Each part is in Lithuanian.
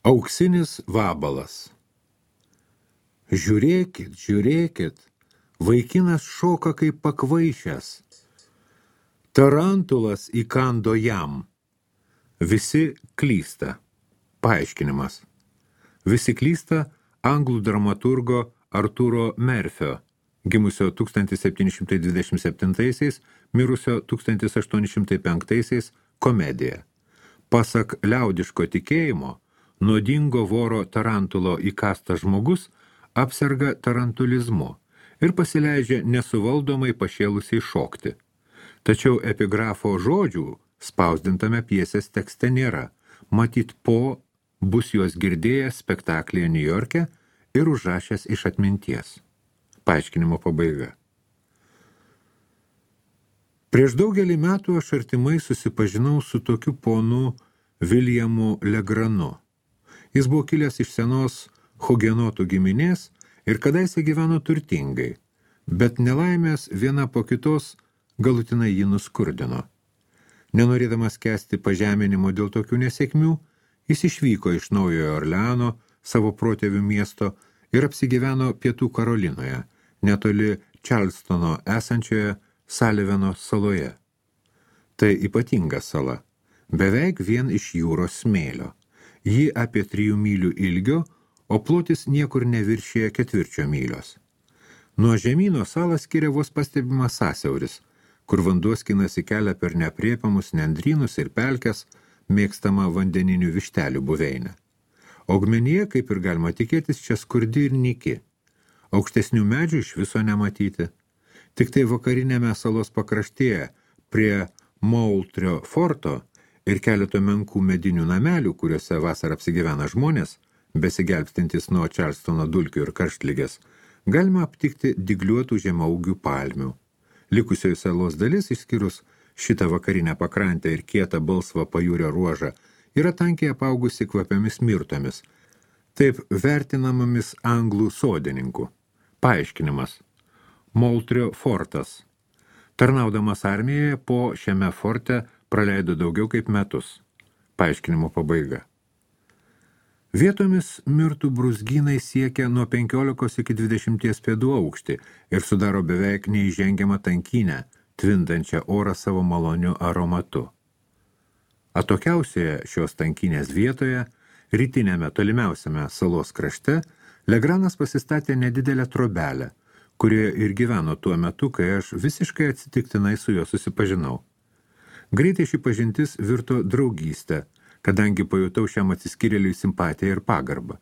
Auksinis vabalas. Žiūrėkit, žiūrėkit, vaikinas šoka kaip pakvaišęs. Tarantulas įkando jam. Visi klysta. Paaiškinimas. Visi klysta anglų dramaturgo Arturo Merfio, gimusio 1727, mirusio 1805 komedija. Pasak liaudiško tikėjimo, nuodingo voro tarantulo įkastas žmogus apserga tarantulizmu ir pasileidžia nesuvaldomai pašėlusiai šokti. Tačiau epigrafo žodžių spausdintame pjesės tekste nėra, matyt bus juos girdėjęs spektaklyje Niujorke ir užrašęs iš atminties. Paaiškinimo pabaiga. Prieš daugelį metų aš artimai susipažinau su tokiu ponu Williamu Legranu. Jis buvo kilęs iš senos hugenotų giminės ir kadaise gyveno turtingai, bet nelaimės viena po kitos galutinai jį nuskurdino. Nenorėdamas kęsti pažeminimo dėl tokių nesėkmių, jis išvyko iš Naujojo Orleano, savo protėvių miesto, ir apsigyveno Pietų Karolinoje, netoli Čarlstono esančioje Saliveno saloje. Tai ypatinga sala, beveik vien iš jūros smėlio. Ji apie 3 mylių ilgio, o plotis niekur neviršyje 4 mylios. Nuo žemyno salą skiria vos pastebimas sąsiauris, kur vanduo skinasi kelią per neaprėpiamus nendrynus ir pelkes, mėgstama vandeninių vištelių buveinę. Augmenija, kaip ir galima tikėtis, čia skurdi ir nyki. Aukštesnių medžių iš viso nematyti. Tik tai vakarinėme salos pakraštėje, prie Moultrio forto ir keleto menkų medinių namelių, kuriuose vasarą apsigyvena žmonės, besigelbstintys nuo Čarlstono dulkių ir karštligės, galima aptikti dygliuotų žemaūgių palmių. Likusioji salos dalis, išskyrus šitą vakarinę pakrantę ir kietą balsvą pajūrio ruožą, yra tankiai apaugusi kvapiamis mirtomis, taip vertinamomis anglų sodininkų. Paaiškinimas. Moultrio fortas. Tarnaudamas armijoje šiame forte praleido daugiau kaip metus. Paaiškinimo pabaiga. Vietomis mirtų brūzgynai siekia nuo 15 iki 20 pėdų aukštį ir sudaro beveik neįžengiamą tankynę, tvindančią orą savo maloniu aromatu. Atokiausioje šios tankynės vietoje, rytinėme tolimiausiame salos krašte, Legranas pasistatė nedidelę trobelę, kurioje ir gyveno tuo metu, kai aš visiškai atsitiktinai su juo susipažinau. Greitai ši pažintis virto draugystę, kadangi pajutau šiam atsiskyrėliui simpatiją ir pagarbą.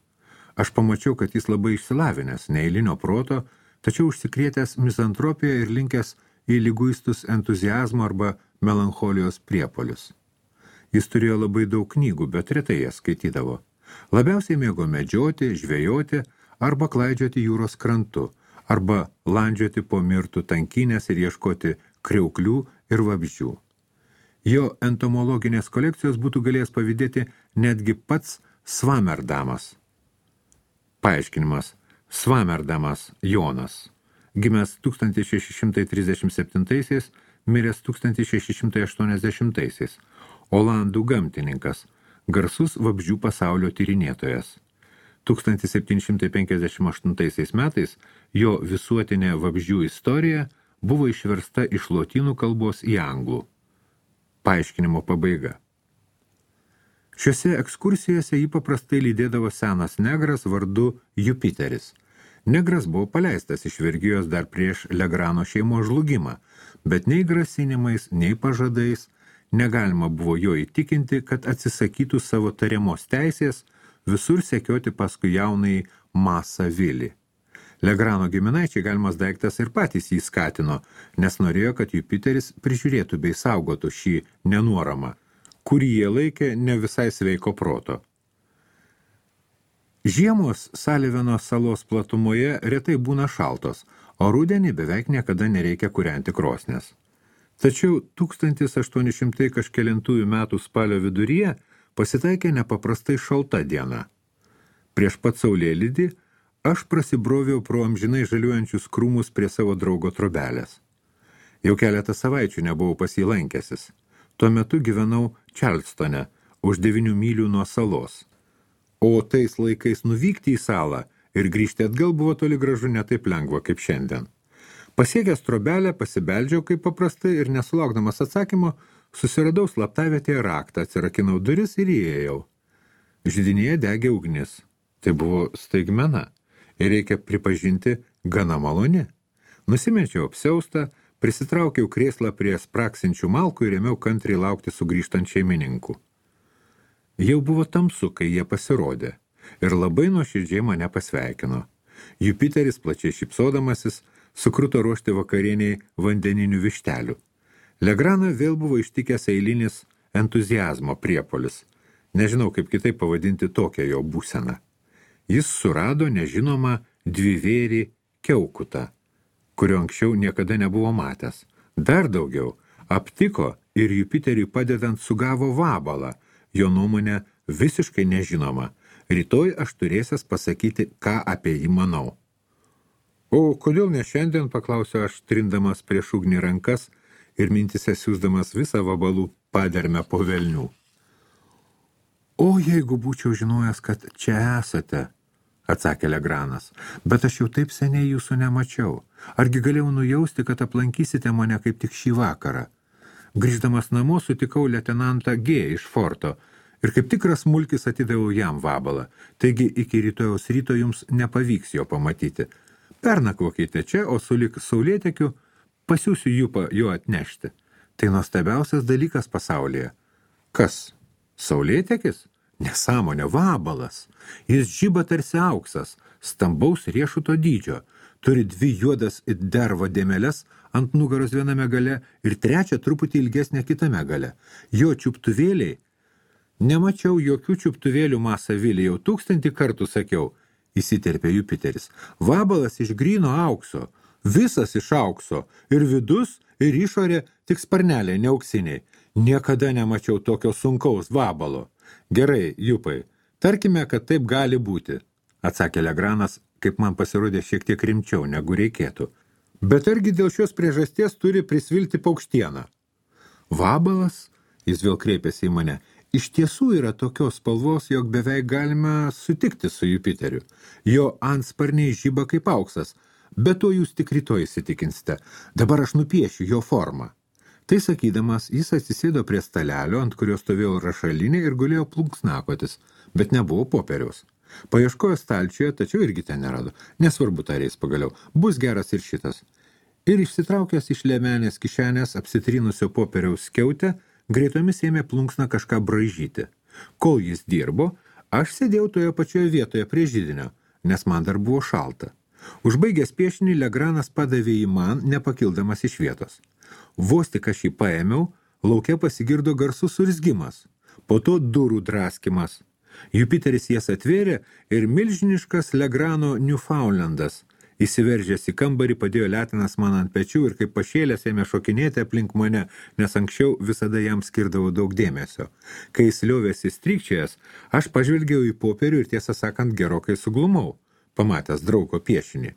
Aš pamačiau, kad jis labai išsilavinęs, neeilinio proto, tačiau užsikrėtęs mizantropiją ir linkęs į liguistus entuziazmo arba melancholijos priepolius. Jis turėjo labai daug knygų, bet retai jas skaitydavo. Labiausiai mėgo medžioti, žvejoti arba klaidžioti jūros krantu, arba landžioti po mirtų tankynės ir ieškoti kriauklių ir vabzdžių. Jo entomologinės kolekcijos būtų galėjęs pavydėti netgi pats Svamerdamas. Paaiškinimas. Svamerdamas Jonas. Gimęs 1637, miręs 1680, olandų gamtininkas, garsus vabzdžių pasaulio tyrinėtojas. 1758 metais jo visuotinė vabzdžių istorija buvo išversta iš lotynų kalbos į anglų. Paaiškinimo pabaiga. Šiuose ekskursijose jį paprastai lydėdavo senas negras vardu Jupiteris. Negras buvo paleistas iš vergijos dar prieš Legrano šeimos žlugimą, bet nei grasinimais, nei pažadais negalima buvo jo įtikinti, kad atsisakytų savo tariamos teisės visur sekioti paskui jaunai Masą Vilį. Legrano giminaičiai galimas daiktas ir patys jį skatino, nes norėjo, kad Jupiteris prižiūrėtų bei saugotų šį nenuoramą, kurį jie laikė ne visai sveiko proto. Žiemos Saliveno salos platumoje retai būna šaltos, o rudenį beveik niekada nereikia kūrenti krosnės. Tačiau 1800 kažkelintųjų metų spalio viduryje pasitaikė nepaprastai šalta diena. Prieš pat saulėlydį aš prasibroviau pro amžinai žaliuojančius krūmus prie savo draugo trobelės. Jau keletą savaičių nebuvau pas jį lankęsis. Tuo metu gyvenau Čarlstone, už 9 mylių nuo salos. O tais laikais nuvykti į salą ir grįžti atgal buvo toli gražu ne taip lengva kaip šiandien. Pasiekęs trobelę, pasibeldžiau kaip paprastai ir nesulaukdamas atsakymo, susiradau slaptavietėje raktą, atsirakinau duris ir įėjau. Židinėje degė ugnis. Tai buvo staigmena ir reikia pripažinti gana maloni. Nusimečiau apsiaustą, prisitraukiau krėslą prie spraksinčių malkų ir ėmiau kantriai laukti sugrįžtant šeimininkų. Jau buvo tamsu, kai jie pasirodė ir labai nuoširdžiai mane pasveikino. Jupiteris, plačiai šypsodamasis, sukruto ruošti vakarieniai vandeninių vištelių. Legraną vėl buvo ištikęs eilinis entuziazmo priepolis. Nežinau, kaip kitaip pavadinti tokią jo būseną. Jis surado nežinomą dvivėrį kiaukutą, kurio anksčiau niekada nebuvo matęs. Dar daugiau, aptiko ir Jupiteriui padedant sugavo vabalą, jo nuomonė visiškai nežinoma. Rytoj aš turėsias pasakyti, ką apie jį manau. O kodėl ne šiandien, paklausiau aš, trindamas prieš ugnį rankas ir mintise siūsdamas visą vabalų padermę po velnių. O jeigu būčiau žinojęs, kad čia esate, atsakė Legranas, bet aš jau taip seniai jūsų nemačiau. Argi galėjau nujausti, kad aplankysite mane kaip tik šį vakarą? Grįždamas namo sutikau leitenantą G iš forto ir kaip tikras mulkis atidaviau jam vabalą, taigi iki rytojaus ryto jums nepavyks jo pamatyti. Pernakvokite čia, o sulig saulėtekiu pasiūsiu Jupą jo atnešti. Tai nuostabiausias dalykas pasaulyje. Kas? Saulėtekis? Nesąmonė, vabalas. Jis žiba tarsi auksas, stambaus riešuto dydžio. Turi 2 juodas it dervo dėmeles ant nugaros viename gale ir 3 truputį ilgesnė kitame gale. Jo čiuptuvėliai. Nemačiau jokių čiuptuvėlių Masavily, jau 1000 kartų sakiau, įsiterpė Jupiteris. Vabalas iš gryno aukso, visas iš aukso, ir vidus, ir išorė, tik sparneliai neauksiniai. Niekada nemačiau tokio sunkaus vabalo. Gerai, Jupai, tarkime, kad taip gali būti, atsakė Legranas, kaip man pasirodė šiek tiek rimčiau, negu reikėtų. Bet argi dėl šios priežasties turi prisvilti paukštieną? Vabalas, jis vėl kreipėsi į mane, iš tiesų yra tokios spalvos, jog beveik galime sutikti su Jupiteriu. Jo antsparniai žiba kaip auksas, bet to jūs tik rytoj įsitikinsite. Dabar aš nupiešiu jo formą. Tai sakydamas, jis atsisėdo prie stalelio, ant kurio stovėjo rašalinė ir gulėjo plunksnakotis, bet nebuvo popieriaus. Paieškojo stalčiuje, tačiau irgi ten nerado. Nesvarbu, tarės pagaliau, bus geras ir šitas. Ir išsitraukęs iš liemenės kišenės apsitrynusio popieriaus skiautę, greitomis ėmė plunksną kažką braižyti. Kol jis dirbo, aš sėdėjau toje pačioje vietoje prie židinio, nes man dar buvo šalta. Užbaigęs piešinį, Legranas padavė jį man, nepakildamas iš vietos. Vos tik aš jį paėmiau, lauke pasigirdo garsus surzgimas, po to durų draskimas. Jupiteris jas atvėrė ir milžiniškas Legrano Newfoundlandas, įsiveržęs į kambarį, padėjo letinas man ant pečių ir kaip pašėlęs ėmė šokinėti aplink mane, nes anksčiau visada jam skirdavo daug dėmesio. Kai jis liovėsi strykčiojas, aš pažvelgiau į popierių ir tiesą sakant gerokai suglumau, pamatęs draugo piešinį.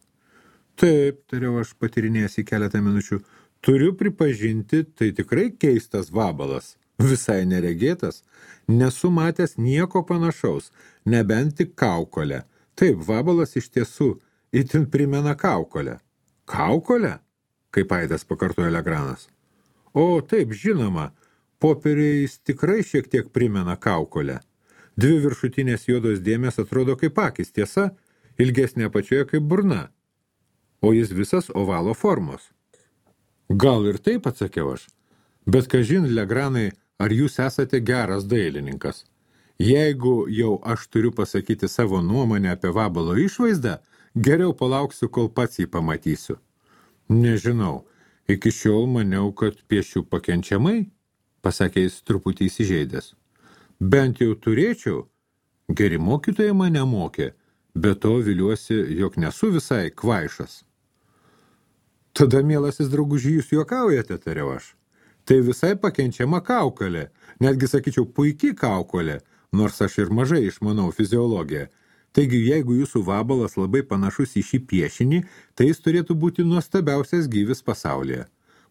Taip, tariau aš patyrinėjęs į keletą minučių, turiu pripažinti, tai tikrai keistas vabalas, visai neregėtas, nesu matęs nieko panašaus, nebent tik kaukolę. Taip, vabalas iš tiesų itin primena kaukolę. Kaukolę? Kaip aidas pakartojo Legranas. O, taip, žinoma, popieriais tikrai šiek tiek primena kaukolę. 2 viršutinės juodos dėmės atrodo kaip akis, tiesa, ilgesnė apačioje kaip burna, o jis visas ovalo formos. Gal ir taip, atsakiau aš, bet kažin, Legranai, ar jūs esate geras dailininkas? Jeigu jau aš turiu pasakyti savo nuomonę apie vabalo išvaizdą, geriau palauksiu, kol pats jį pamatysiu. Nežinau, iki šiol maniau, kad piešiu pakenčiamai, pasakė jis truputį įsižeidęs. Bent jau turėčiau, geri mokytojai mane mokė, bet to viliuosi, jog nesu visai kvaišas. Tada, mielasis drauguži, jūs juokaujate, tariau aš. Tai visai pakenčiama kaukolė, netgi sakyčiau puiki kaukolė, nors aš ir mažai išmanau fiziologiją. Taigi, jeigu jūsų vabalas labai panašus į šį piešinį, tai jis turėtų būti nuostabiausias gyvis pasaulyje.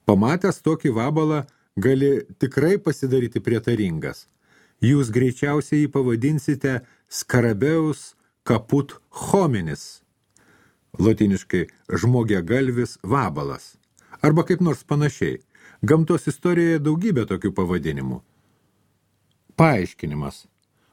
Pamatęs tokį vabalą, gali tikrai pasidaryti prietaringas. Jūs greičiausiai jį pavadinsite Scarabeus caput hominis, lotyniškai žmogiagalvis vabalas, arba kaip nors panašiai. Gamtos istorijoje daugybė tokių pavadinimų. Paaiškinimas.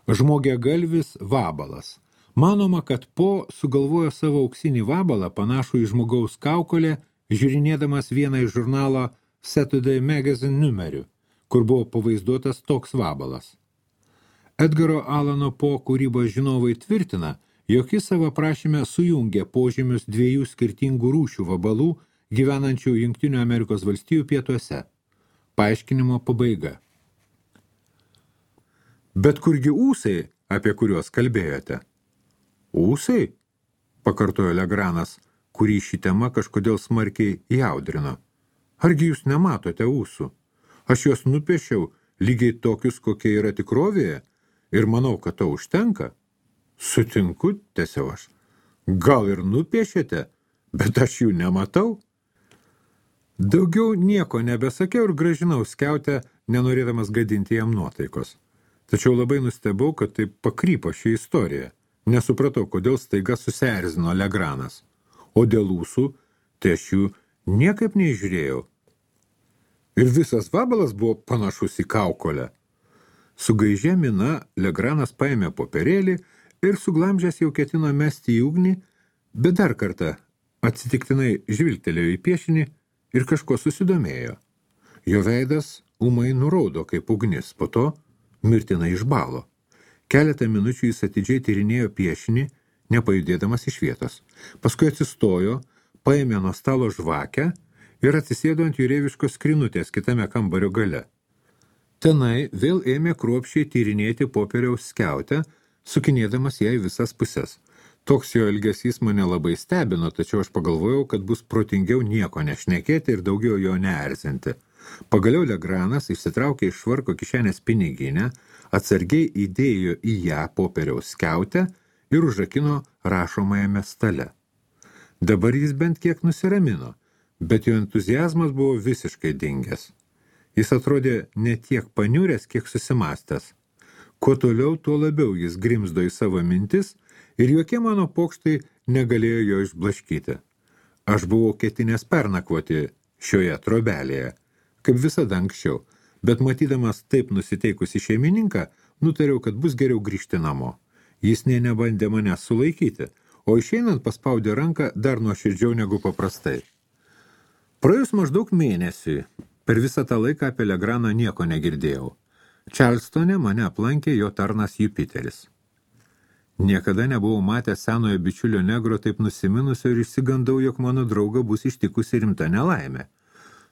Žmogiagalvis vabalas. Manoma, kad Po sugalvojo savo auksinį vabalą panašų į žmogaus kaukolę, žiūrinėdamas vieną iš žurnalo Saturday Magazine numerių, kur buvo pavaizduotas toks vabalas. Edgaro Alano Po kūrybos žinovai tvirtina, jog jis savo prašyme sujungė požymius dviejų skirtingų rūšių vabalų, gyvenančių Jungtinių Amerikos valstijų pietuose. Paaiškinimo pabaiga. Bet kurgi ūsai, apie kuriuos kalbėjote? Ūsai? Pakartojo Legranas, kurį ši tema kažkodėl smarkiai jaudrino. Argi jūs nematote ūsų? Aš juos nupiešiau lygiai tokius, kokie yra tikrovėje, ir manau, kad to užtenka. Sutinku, tęsiau aš. Gal ir nupiešėte, bet aš jų nematau. Daugiau nieko nebesakiau ir gražinau skiautę, nenorėdamas gadinti jam nuotaikos. Tačiau labai nustebau, kad taip pakrypo ši istorija. Nesupratau, kodėl staiga susierzino Legranas. O dėl ūsų, tai aš jų niekaip neįžiūrėjau. Ir visas vabalas buvo panašus į kaukolę. Su gaižia mina Legranas paėmė popierėlį ir suglamžęs jau ketino mesti į ugnį, bet dar kartą atsitiktinai žvilgtelėjo į piešinį ir kažko susidomėjo. Jo veidas ūmai nuraudo kaip ugnis, po to mirtinai išbalo. Keletą minučių jis atidžiai tyrinėjo piešinį, nepajudėdamas iš vietos. Paskui atsistojo, paėmė nuo stalo žvakę ir atsisėdo ant jūreiviškos skrinutės kitame kambario gale. Tenai vėl ėmė kruopščiai tyrinėti popieriaus skiautę, sukinėdamas ją į visas puses. Toks jo elgesys mane labai stebino, tačiau aš pagalvojau, kad bus protingiau nieko nešnekėti ir daugiau jo neerzinti. Pagaliau Legranas išsitraukė iš švarko kišenės piniginę, atsargiai įdėjo į ją popieriaus skiautę ir užrakino rašomajame stale. Dabar jis bent kiek nusiramino, bet jo entuziazmas buvo visiškai dingęs. Jis atrodė ne tiek paniuręs, kiek susimastęs. Kuo toliau, tuo labiau jis grimzdo į savo mintis ir jokie mano pokštai negalėjo jo išblaškyti. Aš buvau ketinęs pernakvoti šioje trobelėje, kaip visada anksčiau, bet matydamas taip nusiteikusi šeimininką, nutariau, kad bus geriau grįžti namo. Jis nė nebandė mane sulaikyti, o išeinant paspaudė ranką dar nuoširdžiau negu paprastai. Praėjus maždaug mėnesiui, per visą tą laiką apie Legraną nieko negirdėjau. Čarlstone mane aplankė jo tarnas Jupiteris. Niekada nebuvau matęs senojo bičiulio negro taip nusiminusio ir išsigandau, jog mano drauga bus ištikusi rimta nelaimė.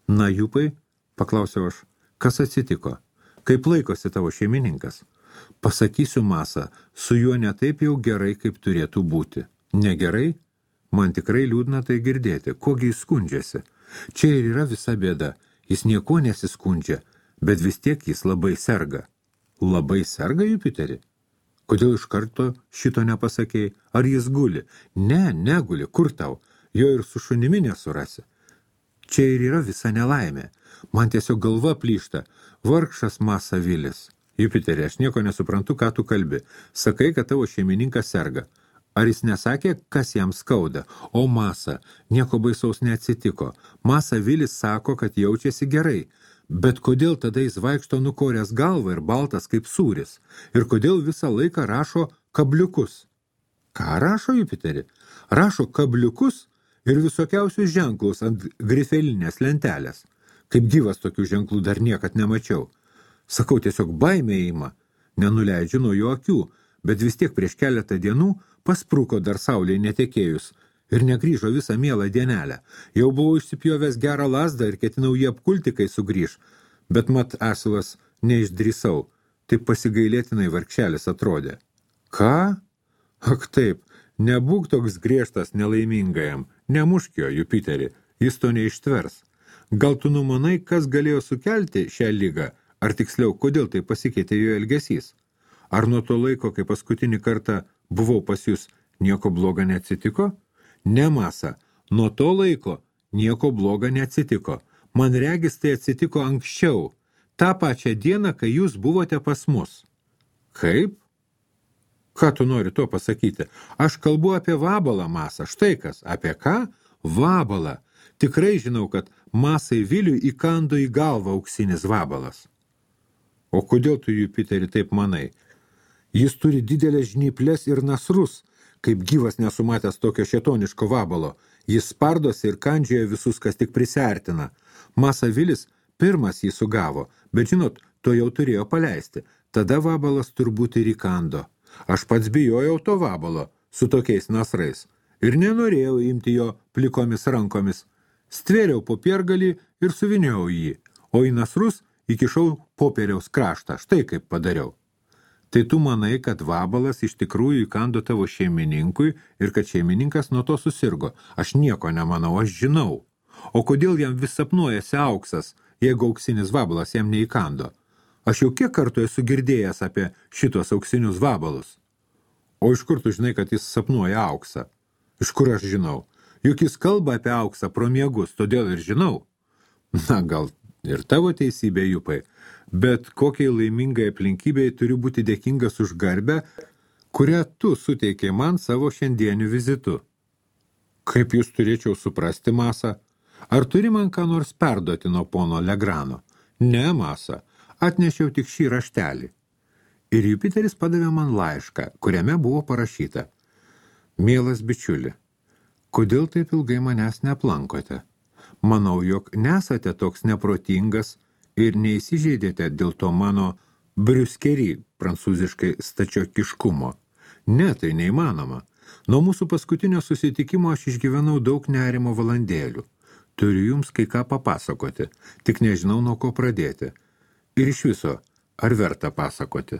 Na, Jupai, paklausiau aš, kas atsitiko? Kaip laikosi tavo šeimininkas? Pasakysiu Masa, su juo ne taip jau gerai, kaip turėtų būti. Negerai? Man tikrai liūdna tai girdėti. Kogi jis skundžiasi? Čia ir yra visa bėda. Jis nieko nesiskundžia, bet vis tiek jis labai serga. Labai serga, Jupiteri? Kodėl iš karto šito nepasakėjai? Ar jis guli? Ne, neguli. Kur tau? Jo ir su šunimi nesurasi. Čia ir yra visa nelaimė. Man tiesiog galva plyšta. Vargšas Masa Vilis. Jupiteri, aš nieko nesuprantu, ką tu kalbi. Sakai, kad tavo šeimininkas serga. Ar jis nesakė, kas jam skauda? O Masa, nieko baisaus neatsitiko. Masa Vilis sako, kad jaučiasi gerai. Bet kodėl tada jis vaikšto nukoręs galvą ir baltas kaip sūris? Ir kodėl visą laiką rašo kabliukus? Ką rašo, Jupiteri? Rašo kabliukus ir visokiausius ženklus ant grifelinės lentelės. Kaip gyvas tokių ženklų dar niekad nemačiau. Sakau, tiesiog baimė ima. Nenuleidžiu nuo jo akių, bet vis tiek prieš keletą dienų paspruko dar saulei netekėjus ir negrįžo visą mielą dienelę. Jau buvau išsipjovęs gerą lazdą ir ketinau jį apkulti, kai sugrįž, bet mat asilas neišdrįsau. Taip pasigailėtinai vargšelis atrodė. Ką? Ak taip, nebūk toks griežtas nelaimingajam, nemušk jo, Jupiteri, jis to neištvers. Gal tu numanai, kas galėjo sukelti šią ligą, ar tiksliau, kodėl tai pasikeitė jo elgesys? Ar nuo to laiko, kai paskutinį kartą buvau pas jūs, nieko bloga neatsitiko? Ne, Masa, nuo to laiko nieko bloga neatsitiko. Man regis tai atsitiko anksčiau, tą pačią dieną, kai jūs buvote pas mus. Kaip? Ką tu nori to pasakyti? Aš kalbu apie vabalą, Masa. Štai kas. Apie ką? Vabalą. Tikrai žinau, kad Masai Viliui įkando į galvą auksinis vabalas. O kodėl tu, Jupiteri, taip manai? Jis turi didelės žnyplės ir nasrus, kaip gyvas nesumatęs tokio šėtoniško vabalo. Jis spardosi ir kandžioja visus, kas tik prisiartina. Masa Vilis pirmas jį sugavo, bet žinot, to jau turėjo paleisti. Tada vabalas turbūt ir įkando. Aš pats bijojau to vabalo su tokiais nasrais ir nenorėjau imti jo plikomis rankomis. Stvėriau popiergalį ir suviniojau jį, o į nasrus įkišau popieriaus kraštą. Štai kaip padariau. Tai tu manai, kad vabalas iš tikrųjų įkando tavo šeimininkui ir kad šeimininkas nuo to susirgo. Aš nieko nemanau, aš žinau. O kodėl jam vis sapnuojasi auksas, jeigu auksinis vabalas jam neįkando? Aš jau kiek kartų esu girdėjęs apie šitos auksinius vabalus. O iš kur tu žinai, kad jis sapnuoja auksą? Iš kur aš žinau? Juk jis kalba apie auksą pro miegus, todėl ir žinau. Na, gal ir tavo teisybė, Jupai, bet kokiai laimingai aplinkybei turiu būti dėkingas už garbę, kurią tu suteikei man savo šiandieniu vizitu. Kaip jūs turėčiau suprasti, Masa? Ar turi man ką nors perduoti nuo pono Legrano? Ne, Masa, atnešiau tik šį raštelį. Ir Jupiteris padavė man laišką, kuriame buvo parašyta: Mielas bičiuli, kodėl taip ilgai manęs neaplankote? Manau, jog nesate toks neprotingas ir neįsižeidėte dėl to mano briuskerį, prancūziškai stačiokiškumo. Ne, tai neįmanoma. Nuo mūsų paskutinio susitikimo aš išgyvenau daug nerimo valandėlių. Turiu jums kai ką papasakoti, tik nežinau nuo ko pradėti. Ir iš viso, ar verta pasakoti?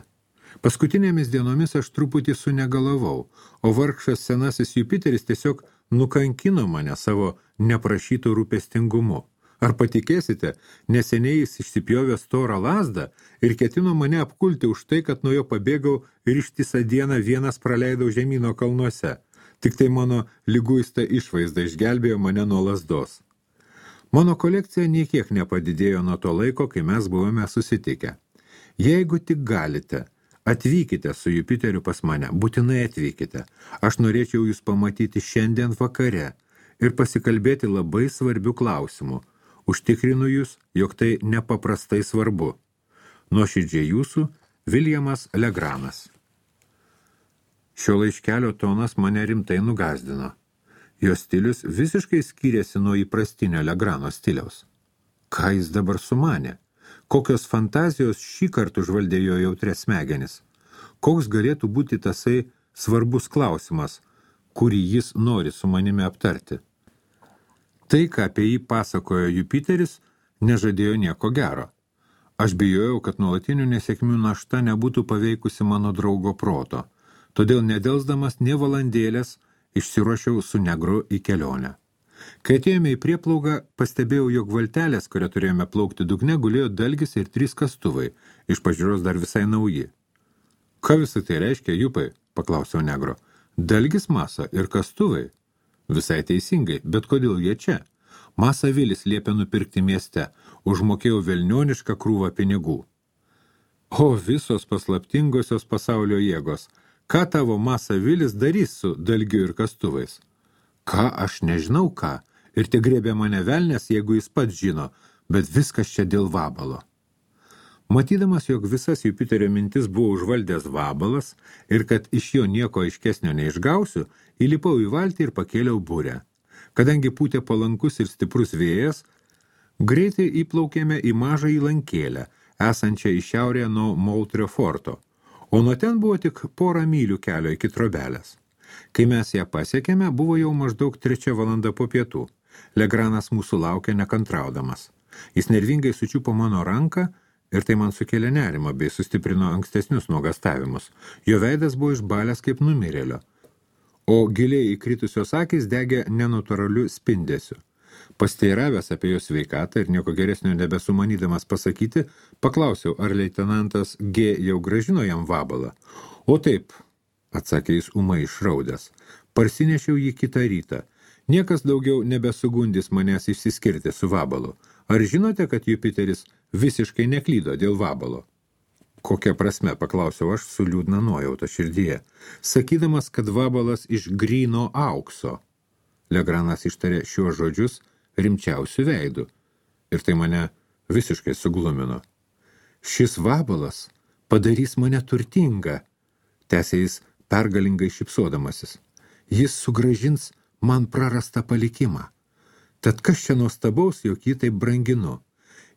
Paskutinėmis dienomis aš truputį sunegalavau, o vargšas senasis Jupiteris tiesiog nukankino mane savo neprašytų rūpestingumu. Ar patikėsite, neseniai jis išsipjovė storą lazdą ir ketino mane apkulti už tai, kad nuo jo pabėgau ir ištisą dieną vienas praleidau žemyno kalnuose. Tik tai mano liguista išvaizda išgelbėjo mane nuo lazdos. Mano kolekcija niekiek nepadidėjo nuo to laiko, kai mes buvome susitikę. Jeigu tik galite, atvykite su Jupiteriu pas mane, būtinai atvykite. Aš norėčiau jūs pamatyti šiandien vakare ir pasikalbėti labai svarbių klausimų. Užtikrinu jūs, jog tai nepaprastai svarbu. Nuoširdžiai jūsų, Viljamas Legranas. Šio laiškelio tonas mane rimtai nugazdino. Jo stilius visiškai skyrėsi nuo įprastinio Legrano stiliaus. Ką jis dabar sumanė? Kokios fantazijos šį kartą užvaldė jo jautrias smegenis? Koks galėtų būti tasai svarbus klausimas, kurį jis nori su manimi aptarti? Tai, ką apie jį pasakojo Jupiteris, nežadėjo nieko gero. Aš bijojau, kad nuolatinių nesėkmių našta nebūtų paveikusi mano draugo proto, todėl nedelsdamas nė valandėlės išsiruošiau su negru į kelionę. Kai atėjome į prieplaugą, pastebėjau, jog valtelės, kurią turėjome plaukti dugne, gulėjo dalgis ir 3 kastuvai, iš pažiūros dar visai nauji. Ką visą tai reiškia, Jupai? Paklausiau negro. Dalgis, Masa ir kastuvai. Visai teisingai, bet kodėl jie čia? Masa Vilis liepė nupirkti mieste, užmokėjau velnionišką krūvą pinigų. O visos paslaptingosios pasaulio jėgos, ką tavo Masa Vilis darys su dalgiu ir kastuvais? Ką, aš nežinau ką, ir te grėbė mane velnės, jeigu jis pats žino, bet viskas čia dėl vabalo. Matydamas, jog visas Jupiterio mintis buvo užvaldęs vabalas ir kad iš jo nieko aiškesnio neišgausiu, įlipau į valtį ir pakėliau burę. Kadangi pūtė palankus ir stiprus vėjas, greitai įplaukėme į mažą įlankėlę, esančią į šiaurę nuo Moultrio forto, o nuo ten buvo tik 1 mylių kelio iki trobelės. Kai mes ją pasiekėme, buvo jau maždaug 3 valanda po pietų. Legranas mūsų laukė nekantraudamas. Jis nervingai sučiupo mano ranką ir tai man sukėlė nerimą bei sustiprino ankstesnius nuogastavimus. Jo veidas buvo išbalęs kaip numirėlio, o giliai įkritusios akys degė nenatūraliu spindesiu. Pasteiravęs apie jo sveikatą ir nieko geresnio nebesumanydamas pasakyti, paklausiau, ar leitenantas G jau grąžino jam vabalą. O taip, atsakė jis ūmai išraudęs, parsinešiau jį kitą rytą. Niekas daugiau nebesugundys manęs išsiskirti su vabalu. Ar žinote, kad Jupiteris visiškai neklydo dėl vabalo? Kokia prasme, paklausiau aš su liūdna nuojauta širdyje, sakydamas, kad vabalas iš gryno aukso. Legranas ištarė šiuos žodžius rimčiausių veidų, ir tai mane visiškai suglumino. Šis vabalas padarys mane turtingą, tęsė jis pergalingai šypsodamasis. Jis sugrąžins man prarastą palikimą. Tad kas čia nuostabaus, jog jį taip branginu?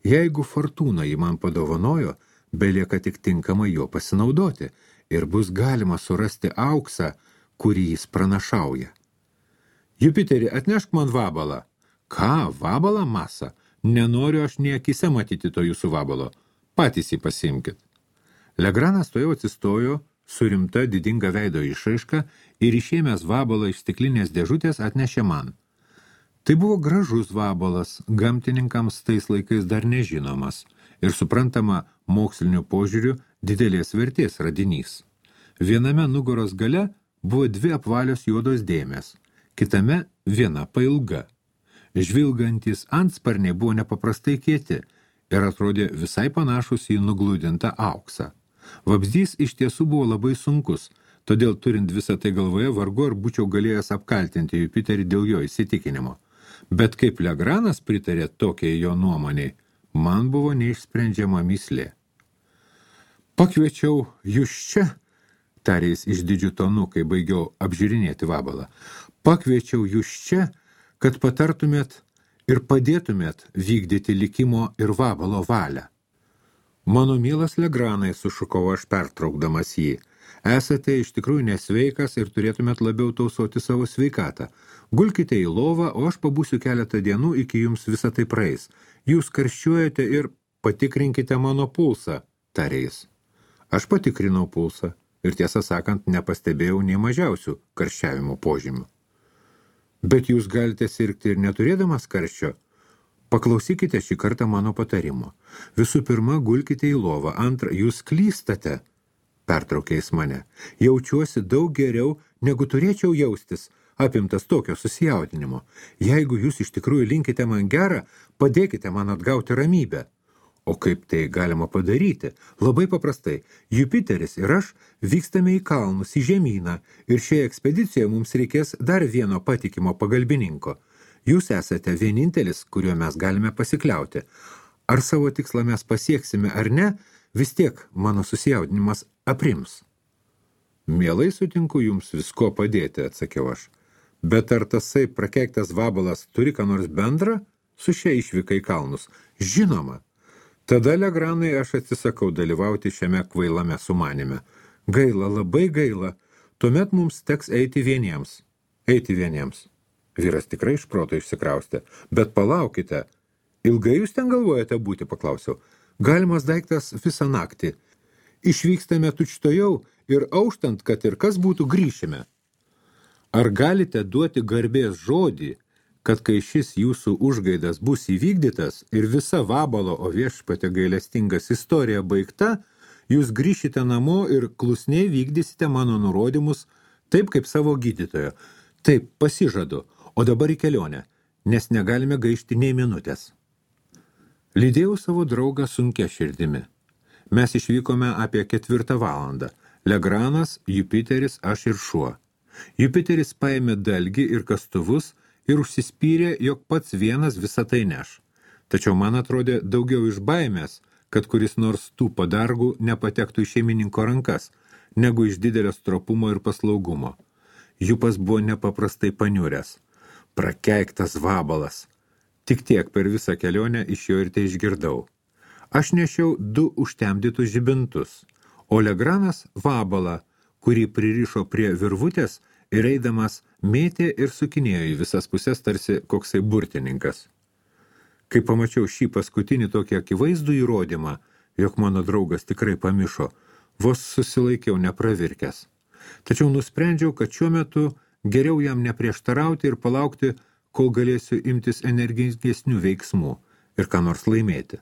Jeigu fortūna jį man padovanojo, belieka tik tinkamai jo pasinaudoti ir bus galima surasti auksą, kurį jis pranašauja. Jupiterį, atnešk man vabalą. Ką, vabalą, Masa? Nenoriu aš nei akise matyti to jūsų vabalo. Patys jį pasiimkit. Legranas tuojau atsistojo su rimta didinga veido išraiška ir išėmęs vabalą iš stiklinės dėžutės atnešė man. Tai buvo gražus vabalas, gamtininkams tais laikais dar nežinomas ir suprantama moksliniu požiūriu didelės vertės radinys. Viename nugaros gale buvo 2 apvalios juodos dėmės, kitame viena pailga. Žvilgantis antsparniai buvo nepaprastai kieti ir atrodė visai panašus į nugludintą auksą. Vabzdys iš tiesų buvo labai sunkus, todėl turint visą tai galvoje vargu ar būčiau galėjęs apkaltinti Jupiterį dėl jo įsitikinimo. Bet kaip Legranas pritarė tokiai jo nuomoniai, man buvo neišsprendžiama mįslė. Pakviečiau jūs čia, tarė jis išdidžiu tonu, kai baigiau apžiūrinėti vabalą. Pakviečiau jūs čia, kad patartumėt ir padėtumėt vykdyti likimo ir vabalo valią. Mano mielas Legranai, sušukau aš pertraukdamas jį, esate iš tikrųjų nesveikas ir turėtumėt labiau tausoti savo sveikatą. Gulkite į lovą, o aš pabūsiu keletą dienų, iki jums visą tai praeis. Jūs karščiuojate ir patikrinkite mano pulsą, tarė jis. Aš patikrinau pulsą ir tiesą sakant nepastebėjau nei mažiausių karščiavimo požymių. Bet jūs galite sirgti ir neturėdamas karščio. Paklausykite šį kartą mano patarimo. Visų pirma, gulkite į lovą. Antra, jūs klystate, pertraukė jis mane. Jaučiuosi daug geriau, negu turėčiau jaustis, apimtas tokio susijaudinimo. Jeigu jūs iš tikrųjų linkite man gerą, padėkite man atgauti ramybę. O kaip tai galima padaryti? Labai paprastai. Jupiteris ir aš vykstame į kalnus, į žemyną, ir šioje ekspedicijoje mums reikės dar vieno patikimo pagalbininko. Jūs esate vienintelis, kuriuo mes galime pasikliauti. Ar savo tikslą mes pasieksime ar ne, vis tiek mano susijaudinimas aprims. Mielai sutinku jums visko padėti, atsakiau aš. Bet ar tasai prakeiktas vabalas turi ką nors bendra su šia išvyka į kalnus? Žinoma. Tada, Legranai, aš atsisakau dalyvauti šiame kvailame sumanime. Gaila, labai gaila. Tuomet mums teks eiti vieniems. Eiti vieniems. Vyras tikrai iš proto išsikraustė. Bet palaukite. Ilgai jūs ten galvojate būti, paklausiau. Galimas daiktas visą naktį. Išvykstame tučtojau ir auštant, kad ir kas būtų, grįšime. Ar galite duoti garbės žodį, kad kai šis jūsų užgaidas bus įvykdytas ir visa vabalo, o viešpate gailestingas istorija baigta, jūs grįšite namo ir klusniai vykdysite mano nurodymus taip kaip savo gydytojo. Taip, pasižadu, o dabar į kelionę, nes negalime gaišti nei minutės. Lydėjau savo draugą sunkia širdimi. Mes išvykome apie 4 valandą. Legranas, Jupiteris, aš ir šuo. Jupiteris paėmė dalgį ir kastuvus ir užsispyrė, jog pats vienas visą tai neš. Tačiau man atrodė daugiau iš baimės, kad kuris nors tų padargų nepatektų į šeimininko rankas, negu iš didelio stropumo ir paslaugumo. Jupas buvo nepaprastai paniuręs. Prakeiktas vabalas. Tik tiek per visą kelionę iš jo ir tai išgirdau. Aš nešiau 2 užtemdytus žibintus, o Legranas vabalą, kurį pririšo prie virvutės ir eidamas mėtė ir sukinėjo į visas pusės tarsi koksai burtininkas. Kai pamačiau šį paskutinį tokį akivaizdų įrodymą, jog mano draugas tikrai pamišo, vos susilaikiau nepravirkęs. Tačiau nusprendžiau, kad šiuo metu geriau jam neprieštarauti ir palaukti, kol galėsiu imtis energingesnių veiksmų ir ką nors laimėti.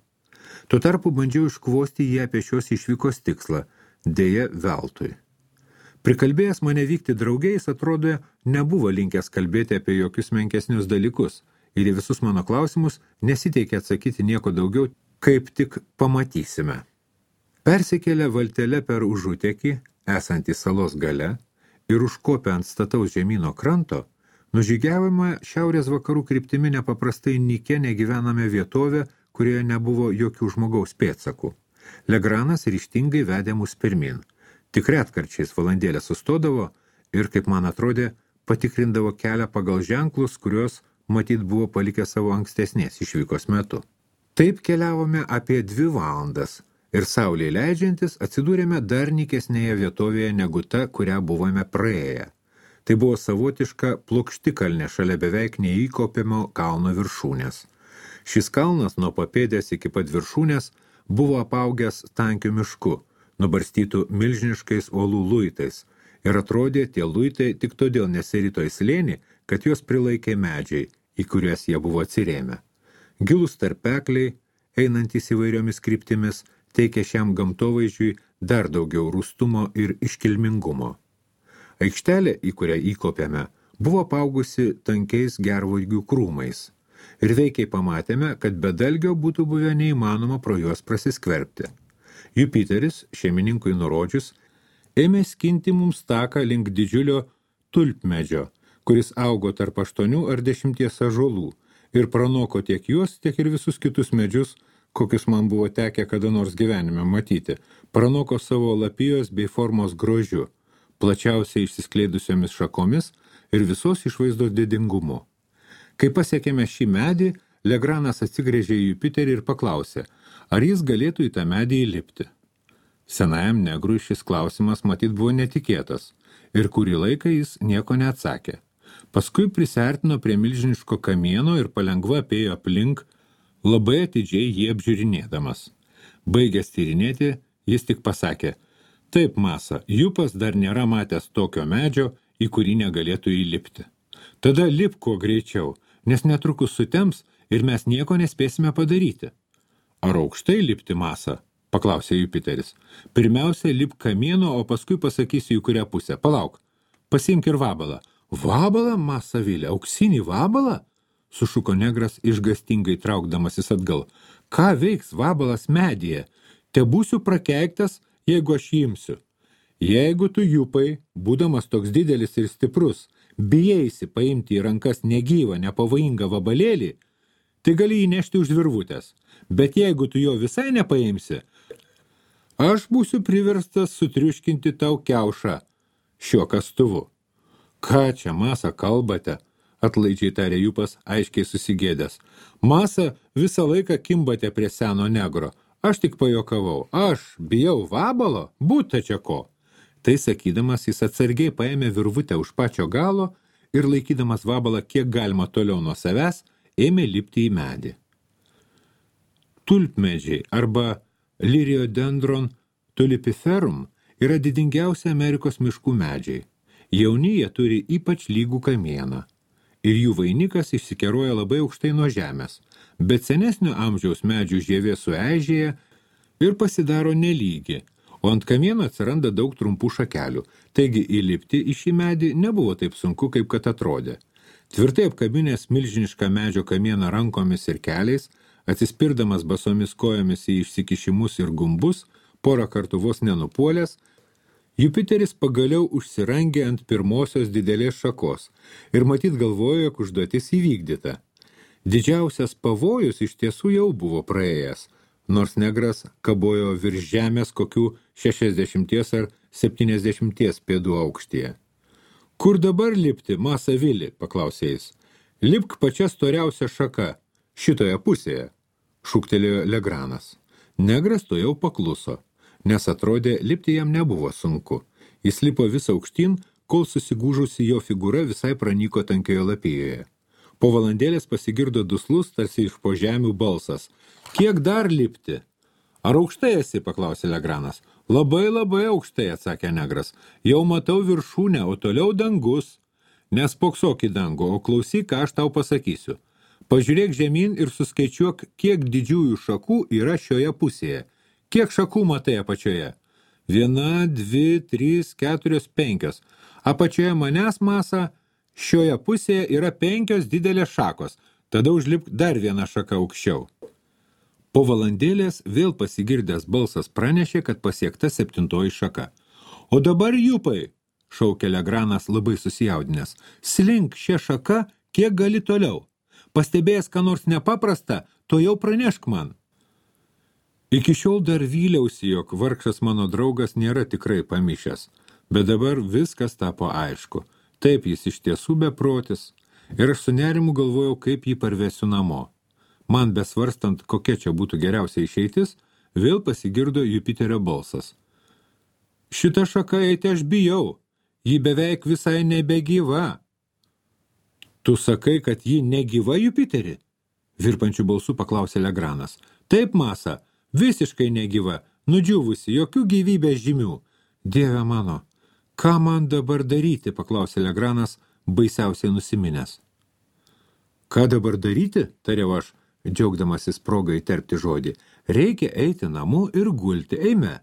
Tuo tarpu bandžiau iškvosti jį apie šios išvykos tikslą, deja veltui. Prikalbėjęs mane vykti draugiais, atrodo, nebuvo linkęs kalbėti apie jokius menkesnius dalykus ir į visus mano klausimus nesiteikė atsakyti nieko daugiau, kaip tik pamatysime. Persikėlę valtele per užutekį, esantį salos gale, ir užkopę ant stataus žemyno kranto, nužygiavome šiaurės vakarų kryptimi nepaprastai nykia negyvename vietovė, kurioje nebuvo jokių žmogaus pėdsakų. Legranas ryžtingai vedė mus pirmin. Tik retkarčiais valandėlę sustodavo ir, kaip man atrodė, patikrindavo kelią pagal ženklus, kuriuos matyt buvo palikę savo ankstesnės išvykos metu. Taip keliavome apie 2 valandas ir saulei leidžiantis atsidūrėme dar nykesnėje vietovėje negu ta, kurią buvome praėję. Tai buvo savotiška plokštikalnė šalia beveik neįkopiamo kalno viršūnės. Šis kalnas nuo papėdės iki pat viršūnės buvo apaugęs tankiu mišku, nubarstytų milžiniškais uolų luitais, ir atrodė tie luitai tik todėl nesirito į slėnį, kad juos prilaikė medžiai, į kurias jie buvo atsirėmę. Gilūs tarpekliai, einantys įvairiomis kryptimis, teikė šiam gamtovaizdžiui dar daugiau rūstumo ir iškilmingumo. Aikštelė, į kurią įkopėme, buvo apaugusi tankiais gervuogių krūmais, ir veikiai pamatėme, kad be dalgio būtų buvę neįmanoma pro juos prasiskverbti. Jupiteris, šeimininkui nurodžius, ėmė skinti mums taką link didžiulio tulpmedžio, kuris augo tarp 8 ar 10 ąžuolų ir pranoko tiek juos, tiek ir visus kitus medžius, kokius man buvo tekę kada nors gyvenime matyti, pranoko savo lapijos bei formos grožiu, plačiausiai išsiskleidusiomis šakomis ir visos išvaizdos didingumu. Kai pasiekėme šį medį, Legranas atsigręžė į Jupiterį ir paklausė, ar jis galėtų į tą medį įlipti. Senajam negrui šis klausimas matyt buvo netikėtas, ir kurį laiką jis nieko neatsakė. Paskui prisiartino prie milžiniško kamieno ir palengva apėjo aplink, labai atidžiai jį apžiūrinėdamas. Baigęs tyrinėti, jis tik pasakė, taip, Masa, Jupas dar nėra matęs tokio medžio, į kurį negalėtų įlipti. Tada lip kuo greičiau, nes netrukus sutems ir mes nieko nespėsime padaryti. Ar aukštai lipti, Masa? Paklausė Jupiteris. Pirmiausia, lip kamieno, o paskui pasakysiu į kurią pusę. Palauk, pasiimk ir vabalą. Vabalą, Masa Vilė, auksinį vabalą? Sušuko negras išgastingai traukdamasis atgal. Ką veiks vabalas medyje? Te būsiu prakeiktas, jeigu aš jį imsiu. Jeigu tu, Jupai, būdamas toks didelis ir stiprus, bijaisi paimti į rankas negyvą, nepavojingą vabalėlį, tai gali jį nešti už virvutės. Bet jeigu tu jo visai nepaimsi, aš būsiu priverstas sutriuškinti tau kiaušą šiuo kastuvu. Ką čia, Masa, kalbate? Atlaidžiai tarė Jupas, aiškiai susigėdęs. Masa, visą laiką kimbate prie seno negro. Aš tik pajokavau. Aš bijau vabalo? Būta čia ko. Tai sakydamas, jis atsargiai paėmė virvutę už pačio galo ir laikydamas vabalą kiek galima toliau nuo savęs, ėmė lipti į medį. Tulpmedžiai arba Liriodendron tulipiferum yra didingiausi Amerikos miškų medžiai. Jauni jie turi ypač lygų kamieną ir jų vainikas išsikeroja labai aukštai nuo žemės, bet senesnio amžiaus medžių žievė sueižėja ir pasidaro nelygi, o ant kamieno atsiranda daug trumpų šakelių, taigi įlipti į šį medį nebuvo taip sunku, kaip kad atrodė. Tvirtai apkabinęs milžinišką medžio kamieną rankomis ir keliais, atsispirdamas basomis kojomis į išsikišimus ir gumbus, porą kartų vos nenupuolęs, Jupiteris pagaliau užsirangė ant pirmosios didelės šakos ir matyt galvojo, jog užduotis įvykdyta. Didžiausias pavojus iš tiesų jau buvo praėjęs, nors negras kabojo virš žemės kokių 60 ar 70 pėdų aukštyje. Kur dabar lipti, Masa Vili, paklausė jis. Lipk pačia storiausia šaka, šitoje pusėje, šūktelėjo Legranas. Negras to jau pakluso, nes atrodė, lipti jam nebuvo sunku. Jis lipo vis aukštyn, kol susigūžusi jo figūra visai pranyko tankioje lapijoje. Po valandėlės pasigirdo duslus, tarsi iš po žemių balsas. Kiek dar lipti? Ar aukštai esi, paklausė Legranas. Labai aukštai, atsakė negras. Jau matau viršūnę, o toliau dangus. Nespoksok į dangų, o klausyk, ką aš tau pasakysiu. Pažiūrėk žemyn ir suskaičiuok, kiek didžiųjų šakų yra šioje pusėje. Kiek šakų matai apačioje? 1, 2, 3, 4, 5. Apačioje manęs, Masa, šioje pusėje yra 5 didelės šakos. Tada užlipk dar vieną šaką aukščiau. Po valandėlės vėl pasigirdęs balsas pranešė, kad pasiekta 7 šaka. O dabar Jupai, šaukė Legranas labai susijaudinęs, slink šią šaką, kiek gali toliau. Pastebėjęs, ką nors nepaprasta, to jau pranešk man. Iki šiol dar vyliausi, jog vargšas mano draugas nėra tikrai pamišęs, bet dabar viskas tapo aišku. Taip jis iš tiesų beprotis, ir aš su nerimu galvojau, kaip jį parvesiu namo. Man besvarstant, kokia čia būtų geriausia išeitis, vėl pasigirdo Jupiterio balsas. Šitą šaką eiti aš bijau, ji beveik visai nebegyva. Tu sakai, kad ji negyva, Jupiteri? Virpančių balsų paklausė Legranas. Taip, Masa, visiškai negyva, nudžiūvusi, jokių gyvybės žymių. Dieve mano, ką man dabar daryti, paklausė Legranas, baisiausiai nusiminęs. Ką dabar daryti, tariau aš, džiaugdamasis progą įterpti žodį. Reikia eiti namo ir gulti, eime.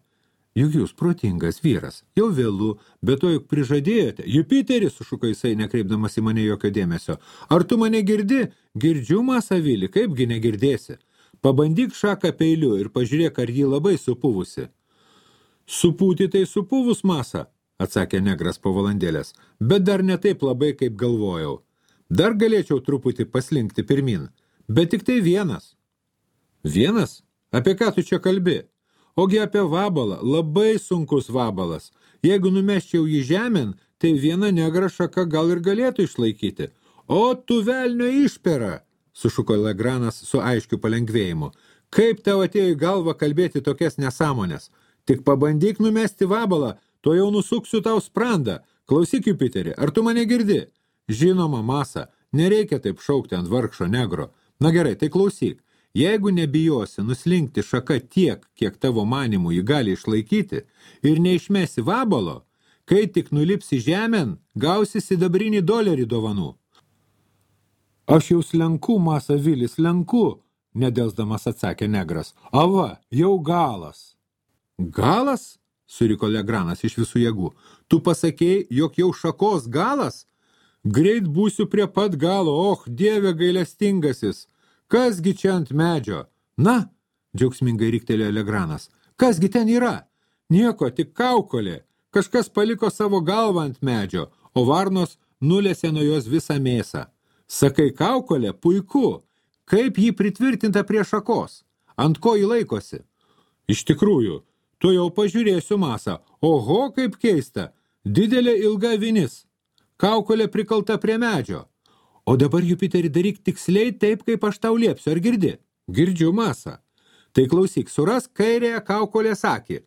Juk jūs protingas vyras, jau vėlu, bet to juk prižadėjote. Jupiteris, sušuko jisai, nekreipdamas į mane jokio dėmesio. Ar tu mane girdi? Girdžiu, Masavili, kaipgi negirdėsi? Pabandyk šaką peiliu ir pažiūrėk, ar jį labai supuvusi. Supūti tai supuvus, Masa, atsakė negras po valandėlės, bet dar ne taip labai, kaip galvojau. Dar galėčiau truputį paslinkti pirmin, bet tik tai vienas. Vienas? Apie ką tu čia kalbi? Ogi apie vabalą, labai sunkus vabalas. Jeigu numesčiau jį žemėn, tai viena negra šaka gal ir galėtų išlaikyti. O tu velnio išpera, sušuko Legranas su aiškiu palengvėjimu. Kaip tau atėjo į galvą kalbėti tokias nesąmonės? Tik pabandyk numesti vabalą, to jau nusuksiu tau sprandą. Klausyk, Jupiterį, ar tu mane girdi? Žinoma, Masa, nereikia taip šaukti ant vargšo negro. Na gerai, tai klausyk. Jeigu nebijosi nuslinkti šaka tiek, kiek tavo manimų jį gali išlaikyti, ir neišmesi vabalo, kai tik nulipsi žemėn, gausi $1 dovanų. Aš jau slenku, Masavili, slenku, nedelsdamas atsakė negras. Ava, jau galas. Galas? Suriko Legranas iš visų jėgų. Tu pasakėjai, jog jau šakos galas? Greit būsiu prie pat galo, Dieve gailestingasis. Kasgi čia ant medžio? Na, džiaugsmingai riktelėjo Legranas. Kasgi ten yra? Nieko, tik kaukolė. Kažkas paliko savo galvą ant medžio, o varnos nulėsė nuo jos visą mėsą. Sakai kaukolė, puiku. Kaip jį pritvirtinta prie šakos? Ant ko jį laikosi? Iš tikrųjų, tu jau pažiūrėsiu, Masa. Oho, kaip keista. Didelė ilga vinis. Kaukolė prikalta prie medžio. O dabar, Jupiterį, daryk tiksliai taip, kaip aš tau liepsiu. Ar girdi? Girdžiu, Masa. Tai klausyk, suras kairėje kaukolės akį.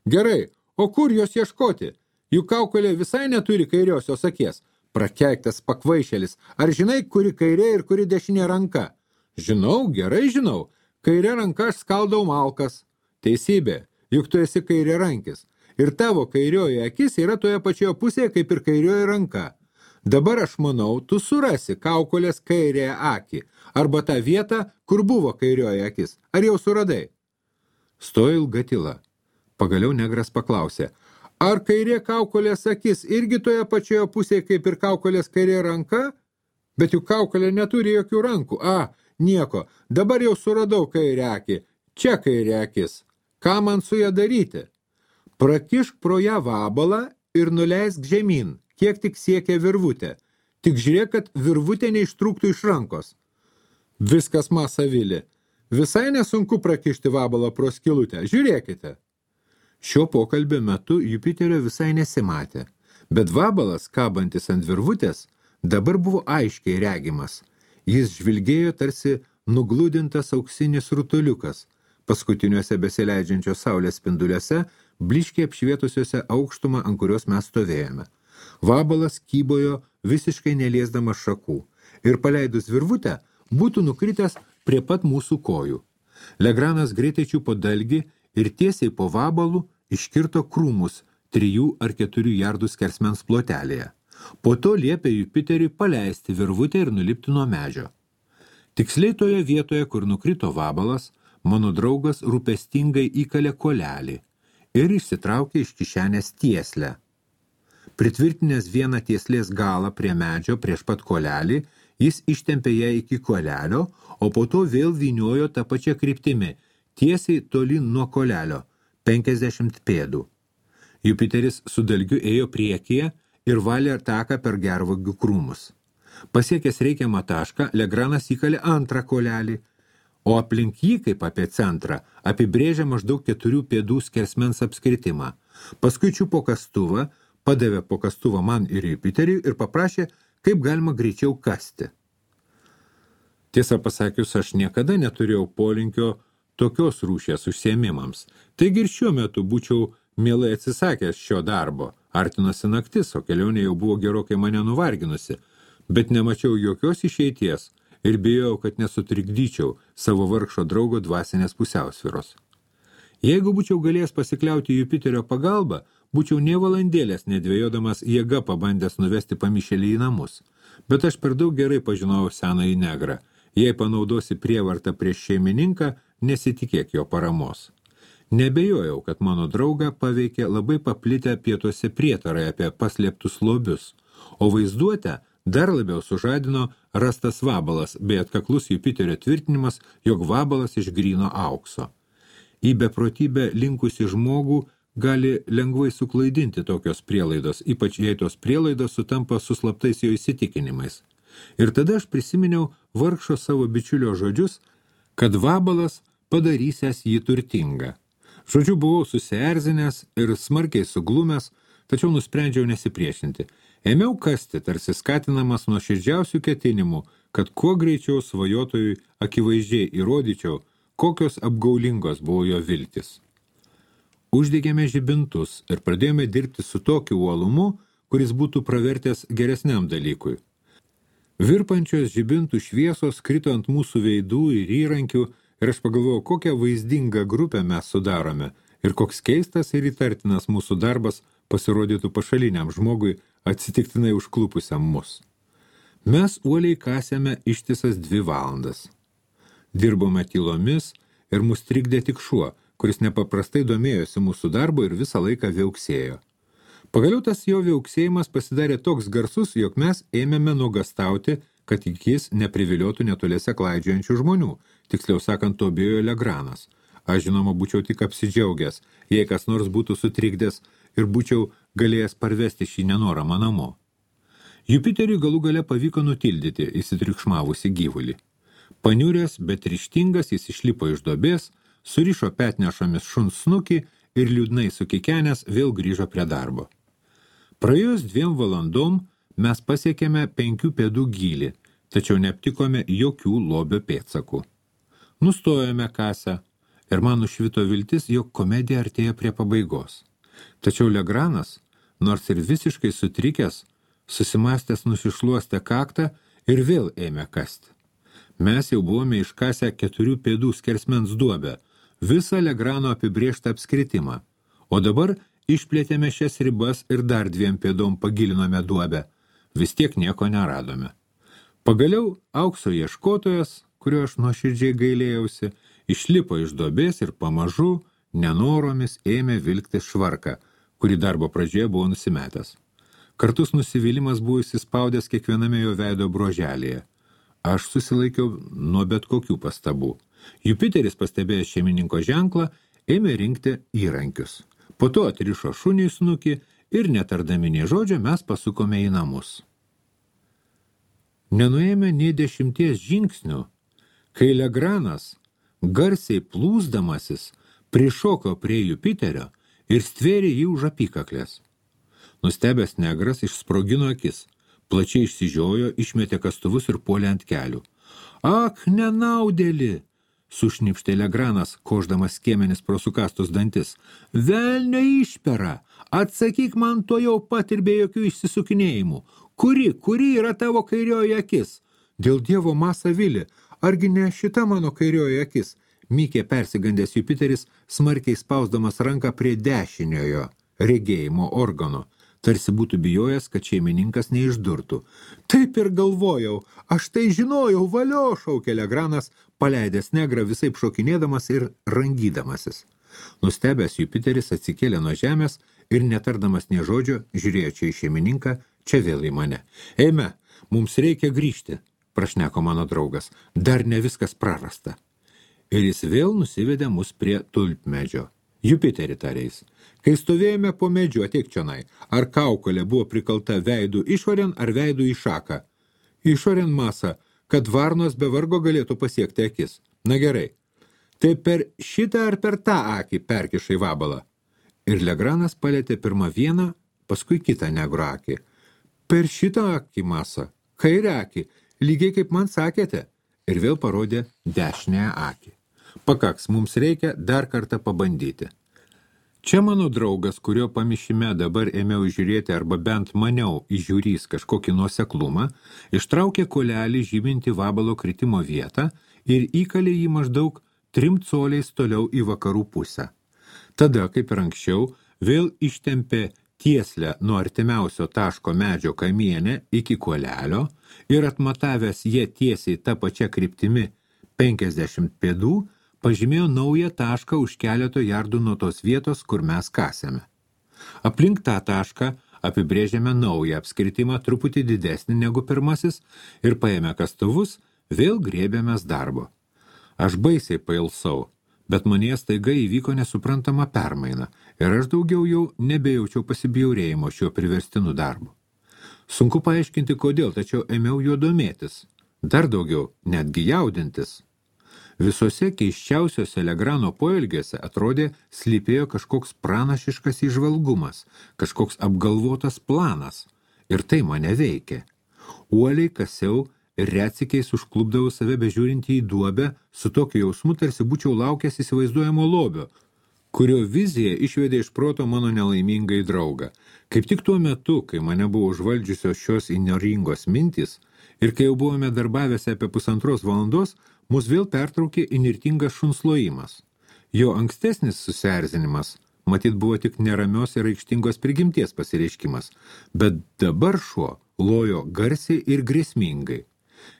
Gerai. O kur jos ieškoti? Juk kaukolė visai neturi kairiosios akies. Prakeiktas pakvaišėlis. Ar žinai, kuri kairė ir kuri dešinė ranka? Žinau, gerai žinau. Kairė ranka aš skaldau malkas. Teisybė, juk tu esi kairė rankis. Ir tavo kairioji akis yra toje pačioje pusėje, kaip ir kairioji ranka. Dabar aš manau, tu surasi kaukolės kairėje akį, arba tą vietą, kur buvo kairioji akis. Ar jau suradai? Stojo ilga tyla. Pagaliau negras paklausė, ar kairė kaukolės akis irgi toje pačioje pusėje, kaip ir kaukolės kairė ranka? Bet juk kaukolė neturi jokių rankų. Nieko, dabar jau suradau kairę akį. Čia kairė akis. Ką man su ją daryti? Prakišk pro ją vabalą ir nuleisk žemyn. Kiek tik siekia virvutė. Tik žiūrėk, kad virvutė neištrūktų iš rankos. Viskas, Masavili. Visai nesunku prakišti vabalą pro skylutę. Žiūrėkite. Šio pokalbio metu Jupiterio visai nesimatė, bet vabalas, kabantis ant virvutės, dabar buvo aiškiai regimas. Jis žvilgėjo tarsi nugludintas auksinis rutuliukas, paskutiniuose besileidžiančios saulės spinduliuose, blyškiai apšvietusiuose aukštumą, ant kurios mes stovėjome. Vabalas kybojo visiškai neliesdamas šakų ir paleidus virvutę būtų nukritęs prie pat mūsų kojų. Legranas greitai čiupo dalgį ir tiesiai po vabalų iškirto krūmus 3 ar 4 jardų skersmens plotelėje. Po to liepė Jupiteriui paleisti virvutę ir nulipti nuo medžio. Tiksliai toje vietoje, kur nukrito vabalas, mano draugas rūpestingai įkalė kolelį ir išsitraukė iš kišenės tieslę. Pritvirtinęs vieną tieslės galą prie medžio prieš pat kolelį, Jis ištempė ją iki kolelio, o po to vėl vyniojo tą pačią kryptimį, tiesiai tolyn nuo kolelio, 50 pėdų. Jupiteris su dalgiu ėjo priekyje ir valė taką per gervuogių krūmus. Pasiekęs reikiamą tašką, Legranas įkalė antrą kolelį, o aplink jį, kaip apie centrą, apibrėžė maždaug 4 pėdų skersmens apskritimą. Paskui čiupo kastuvą, padavė po kastuvą man ir Jupiteriui ir paprašė, kaip galima greičiau kasti. Tiesą pasakius, aš niekada neturėjau polinkio tokios rūšies užsiėmimams. Taigi ir šiuo metu būčiau mielai atsisakęs šio darbo. Artinosi naktis, o kelionė jau buvo gerokai mane nuvarginusi, bet nemačiau jokios išeities ir bijojau, kad nesutrikdyčiau savo vargšo draugo dvasinės pusiausvyros. Jeigu būčiau galėjęs pasikliauti Jupiterio pagalba, būčiau nė valandėlės nedvėjodamas jėga pabandęs nuvesti pamišėlį į namus. Bet aš per daug gerai pažinojau senąjį negrą. Jei panaudosi prievartą prieš šeimininką, nesitikėk jo paramos. Nebejojau, kad mano draugą paveikė labai paplitę pietuose prietarai apie paslėptus lobius, o vaizduotę dar labiau sužadino rastas vabalas, bei atkaklus Jupiterio tvirtinimas, jog vabalas iš gryno aukso. Į beprotybę linkusi žmogų gali lengvai suklaidinti tokios prielaidos, ypač jei tos prielaidos sutampa su slaptais jo įsitikinimais. Ir tada aš prisiminiau vargšo savo bičiulio žodžius, kad vabalas padarysęs jį turtingą. Žodžiu, buvau susierzinęs ir smarkiai suglumęs, tačiau nusprendžiau nesipriešinti. Ėmiau kasti, tarsi skatinamas nuo širdžiausių ketinimų, kad kuo greičiau svajotojui akivaizdžiai įrodyčiau, kokios apgaulingos buvo jo viltis. Uždegėme žibintus ir pradėjome dirbti su tokiu uolumu, kuris būtų pravertęs geresniam dalykui. Virpančios žibintų šviesos krito ant mūsų veidų ir įrankių ir aš pagalvojau, kokią vaizdingą grupę mes sudarome ir koks keistas ir įtartinas mūsų darbas pasirodytų pašaliniam žmogui atsitiktinai užklupusiam mus. Mes uoliai kasėme ištisas 2 valandas. Dirbome tylomis ir mus trikdė tik šuo, kuris nepaprastai domėjosi mūsų darbo ir visą laiką viauksėjo. Pagaliau tas jo viauksėjimas pasidarė toks garsus, jog mes ėmėme nuogastauti, kad jis nepriviliotų netoliese klaidžiojančių žmonių, tiksliau sakant, to bijojo Legranas. Aš žinoma būčiau tik apsidžiaugęs, jei kas nors būtų sutrikdęs ir būčiau galėjęs parvesti šį nenoramą namo. Jupiteriui galų gale pavyko nutildyti įsitriukšmavusi gyvulį. Paniuręs, bet ryžtingas, jis išlipo iš duobės, surišo petnešomis šuns snukį ir liūdnai sukikenęs vėl grįžo prie darbo. Praėjus 2 valandom mes pasiekėme 5 pėdų gylį, tačiau neaptikome jokių lobio pėdsakų. Nustojome kasę ir man nušvito viltis, jog komedija artėja prie pabaigos. Tačiau Legranas, nors ir visiškai sutrikęs, susimastęs nusišluostė kaktą ir vėl ėmė kasti. Mes jau buvome iškasę 4 pėdų skersmens duobę, visą Legrano apibrėžtą apskritimą, o dabar išplėtėme šias ribas ir dar 2 pėdom pagilinome duobę. Vis tiek nieko neradome. Pagaliau aukso ieškotojas, kurio aš nuoširdžiai gailėjausi, išlipo iš duobės ir pamažu, nenoromis ėmė vilkti švarką, kurį darbo pradžioje buvo nusimetęs. Kartus nusivylimas buvo įsispaudęs kiekviename jo veido broželėje. Aš susilaikiau nuo bet kokių pastabų. Jupiteris, pastebėjęs šeimininko ženklą, ėmė rinkti įrankius. Po to atrišo šunį snukį ir netardami nė žodžio mes pasukome į namus. Nenuėjome nė 10 žingsnių, kai Legranas, garsiai plūsdamasis, prišoko prie Jupiterio ir stvėrė jį už apykaklės. Nustebęs negras išsprogino akis, plačiai išsižiojo, išmetė kastuvus ir puolė ant kelių. Ak, nenaudėli! Sušnipštė Legranas, koždamas skiemenis pro sukastus dantis. Velnio išpera! Atsakyk man to jau pat ir be jokių išsisukinėjimų. Kuri yra tavo kairioji akis? Dėl Dievo Masavili, argi ne šita mano kairioji akis? Mykė persigandęs Jupiteris, smarkiai spausdamas ranką prie dešiniojo regėjimo organo. Tarsi būtų bijojęs, kad šeimininkas neišdurtų. Taip ir galvojau, aš tai žinojau, valio, šaukė Legranas, paleidęs negrą visaip šokinėdamas ir rangydamasis. Nustebęs Jupiteris atsikėlė nuo žemės ir netardamas nė žodžio, žiūrėjo čia į šeimininką, čia vėl į mane. Eime, mums reikia grįžti. prašneko mano draugas, dar ne viskas prarasta. Ir jis vėl nusivedė mus prie tulpmedžio. Jupiterį tarės. Kai stovėjome po medžiu, ateik čionai, ar kaukolė buvo prikalta veidų išorėn ar veidų į šaką? Išorėn masa, kad varnos be vargo galėtų pasiekti akis. Na gerai, tai per šitą ar per tą akį perkišai vabalą? Ir Legranas palėtė pirmą vieną, paskui kitą negro akį. Per šitą akį masa, kairę akį, lygiai kaip man sakėte. Ir vėl parodė dešinę akį. Pakaks, mums reikia dar kartą pabandyti. Čia mano draugas, kurio pamišime dabar ėmiau žiūrėti arba bent maniau įžiūrys kažkokį nuoseklumą, ištraukė kuolelį žyminti vabalo kritimo vietą ir įkalė jį maždaug 3 coliais toliau į vakarų pusę. Tada, kaip ir anksčiau, vėl ištempė tieslę nuo artimiausio taško medžio kamienę iki kuolelio ir atmatavęs jie tiesiai tą pačią kryptimi 50 pėdų, pažymėjo naują tašką už keleto jardų nuo tos vietos, kur mes kasėme. Aplink tą tašką apibrėžėme naują apskritimą truputį didesnį negu pirmasis ir paėmę kastuvus, vėl grėbėmės darbo. Aš baisiai pailsau, bet manyje staiga įvyko nesuprantama permaina ir aš daugiau jau nebejaučiau pasibjaurėjimo šiuo priverstinu darbu. Sunku paaiškinti kodėl, tačiau ėmiau juo domėtis. Dar daugiau, netgi jaudintis. Visose keiščiausiose Legrano poelgiuose atrodė slypėjo kažkoks pranašiškas įžvalgumas, kažkoks apgalvotas planas. Ir tai mane veikė. Uoliai kasiau ir retsykiais užklupdavau save bežiūrinti į duobę su tokiu jausmu, tarsi būčiau laukęs įsivaizduojamo lobio, kurio vizija išvedė iš proto mano nelaimingai draugą. Kaip tik tuo metu, kai mane buvo užvaldžiusios šios įnoringos mintys ir kai jau buvome darbavęsi apie 1,5 valandos, mus vėl pertraukė įnirtingas šunslojimas. Jo ankstesnis susierzinimas, matyt, buvo tik neramios ir aikštingos prigimties pasireiškimas, bet dabar šuo lojo garsiai ir grėsmingai.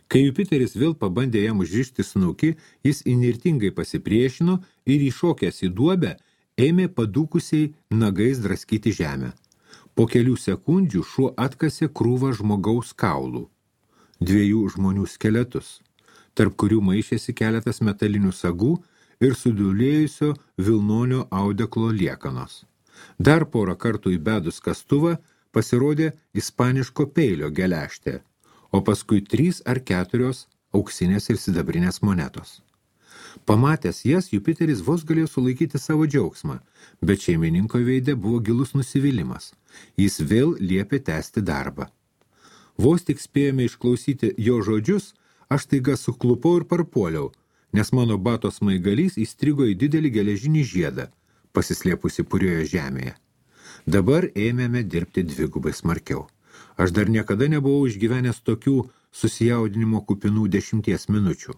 Kai Jupiteris vėl pabandė jam užrišti snukį, jis įnirtingai pasipriešino ir įšokęs į duobę ėmė padūkusiai nagais draskyti žemę. Po kelių sekundžių šuo atkasė krūvą žmogaus kaulų, 2 žmonių skeletus, tarp kurių maišėsi keletas metalinių sagų ir sudulėjusio vilnonio audeklo liekanos. Dar porą kartų įbedus kastuvą pasirodė ispaniško peilio geležtė, o paskui 3 ar 4 auksinės ir sidabrinės monetos. Pamatęs jas, Jupiteris vos galėjo sulaikyti savo džiaugsmą, bet šeimininko veide buvo gilus nusivylimas. Jis vėl liepė tęsti darbą. Vos tik spėjome išklausyti jo žodžius, aš taiga suklupau ir parpuoliau, nes mano bato smaigalys įstrigo į didelį geležinį žiedą, pasislėpusi purioje žemėje. Dabar ėmėme dirbti 2 smarkiau. Aš dar niekada nebuvau išgyvenęs tokių susijaudinimo kupinų 10 minučių.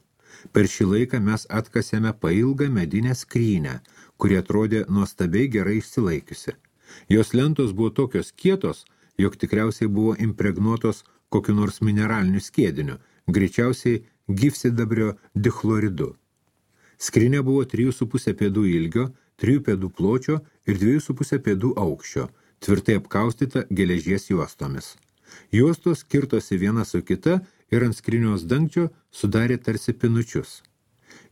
Per šį laiką mes atkasėme pailgą medinę skrynę, kuri atrodė nuostabiai gerai išsilaikiusi. Jos lentos buvo tokios kietos, jog tikriausiai buvo impregnuotos kokiu nors mineraliniu skiediniu, greičiausiai gyvsidabrio dichloridu. Skrinė buvo 3,5 pėdų ilgio, 3 pėdų pločio ir 2,5 pėdų aukščio, tvirtai apkaustyta geležies juostomis. Juostos skirtosi viena su kita ir ant skrynios dangčio sudarė tarsi pinučius.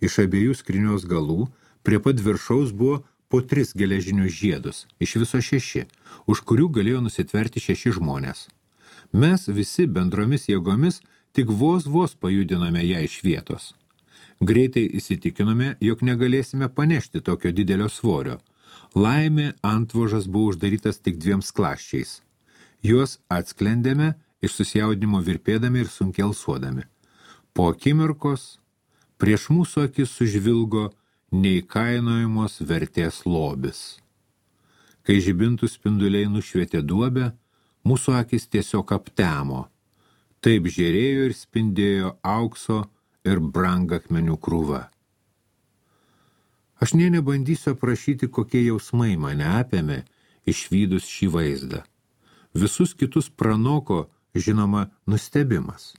Iš abiejų skrynios galų prie pat viršaus buvo po 3 geležinius žiedus, iš viso 6, už kurių galėjo nusitverti 6 žmonės. Mes visi bendromis jėgomis tik vos pajudinome ją iš vietos. Greitai įsitikinome, jog negalėsime panešti tokio didelio svorio. Laimė antvožas buvo uždarytas tik 2 skląsčiais. Juos atsklendėme iš susijaudinimo virpėdami ir sunkiai alsuodami. Po akimirkos prieš mūsų akis sužvilgo neįkainojamos vertės lobis. Kai žibintų spinduliai nušvietė duobę, mūsų akis tiesiog aptemo. Taip žėrėjo ir spindėjo aukso ir brangakmenių krūva. Aš nė nebandysiu aprašyti, kokie jausmai mane apėmė išvydus šį vaizdą. Visus kitus pranoko, žinoma, nustebimas.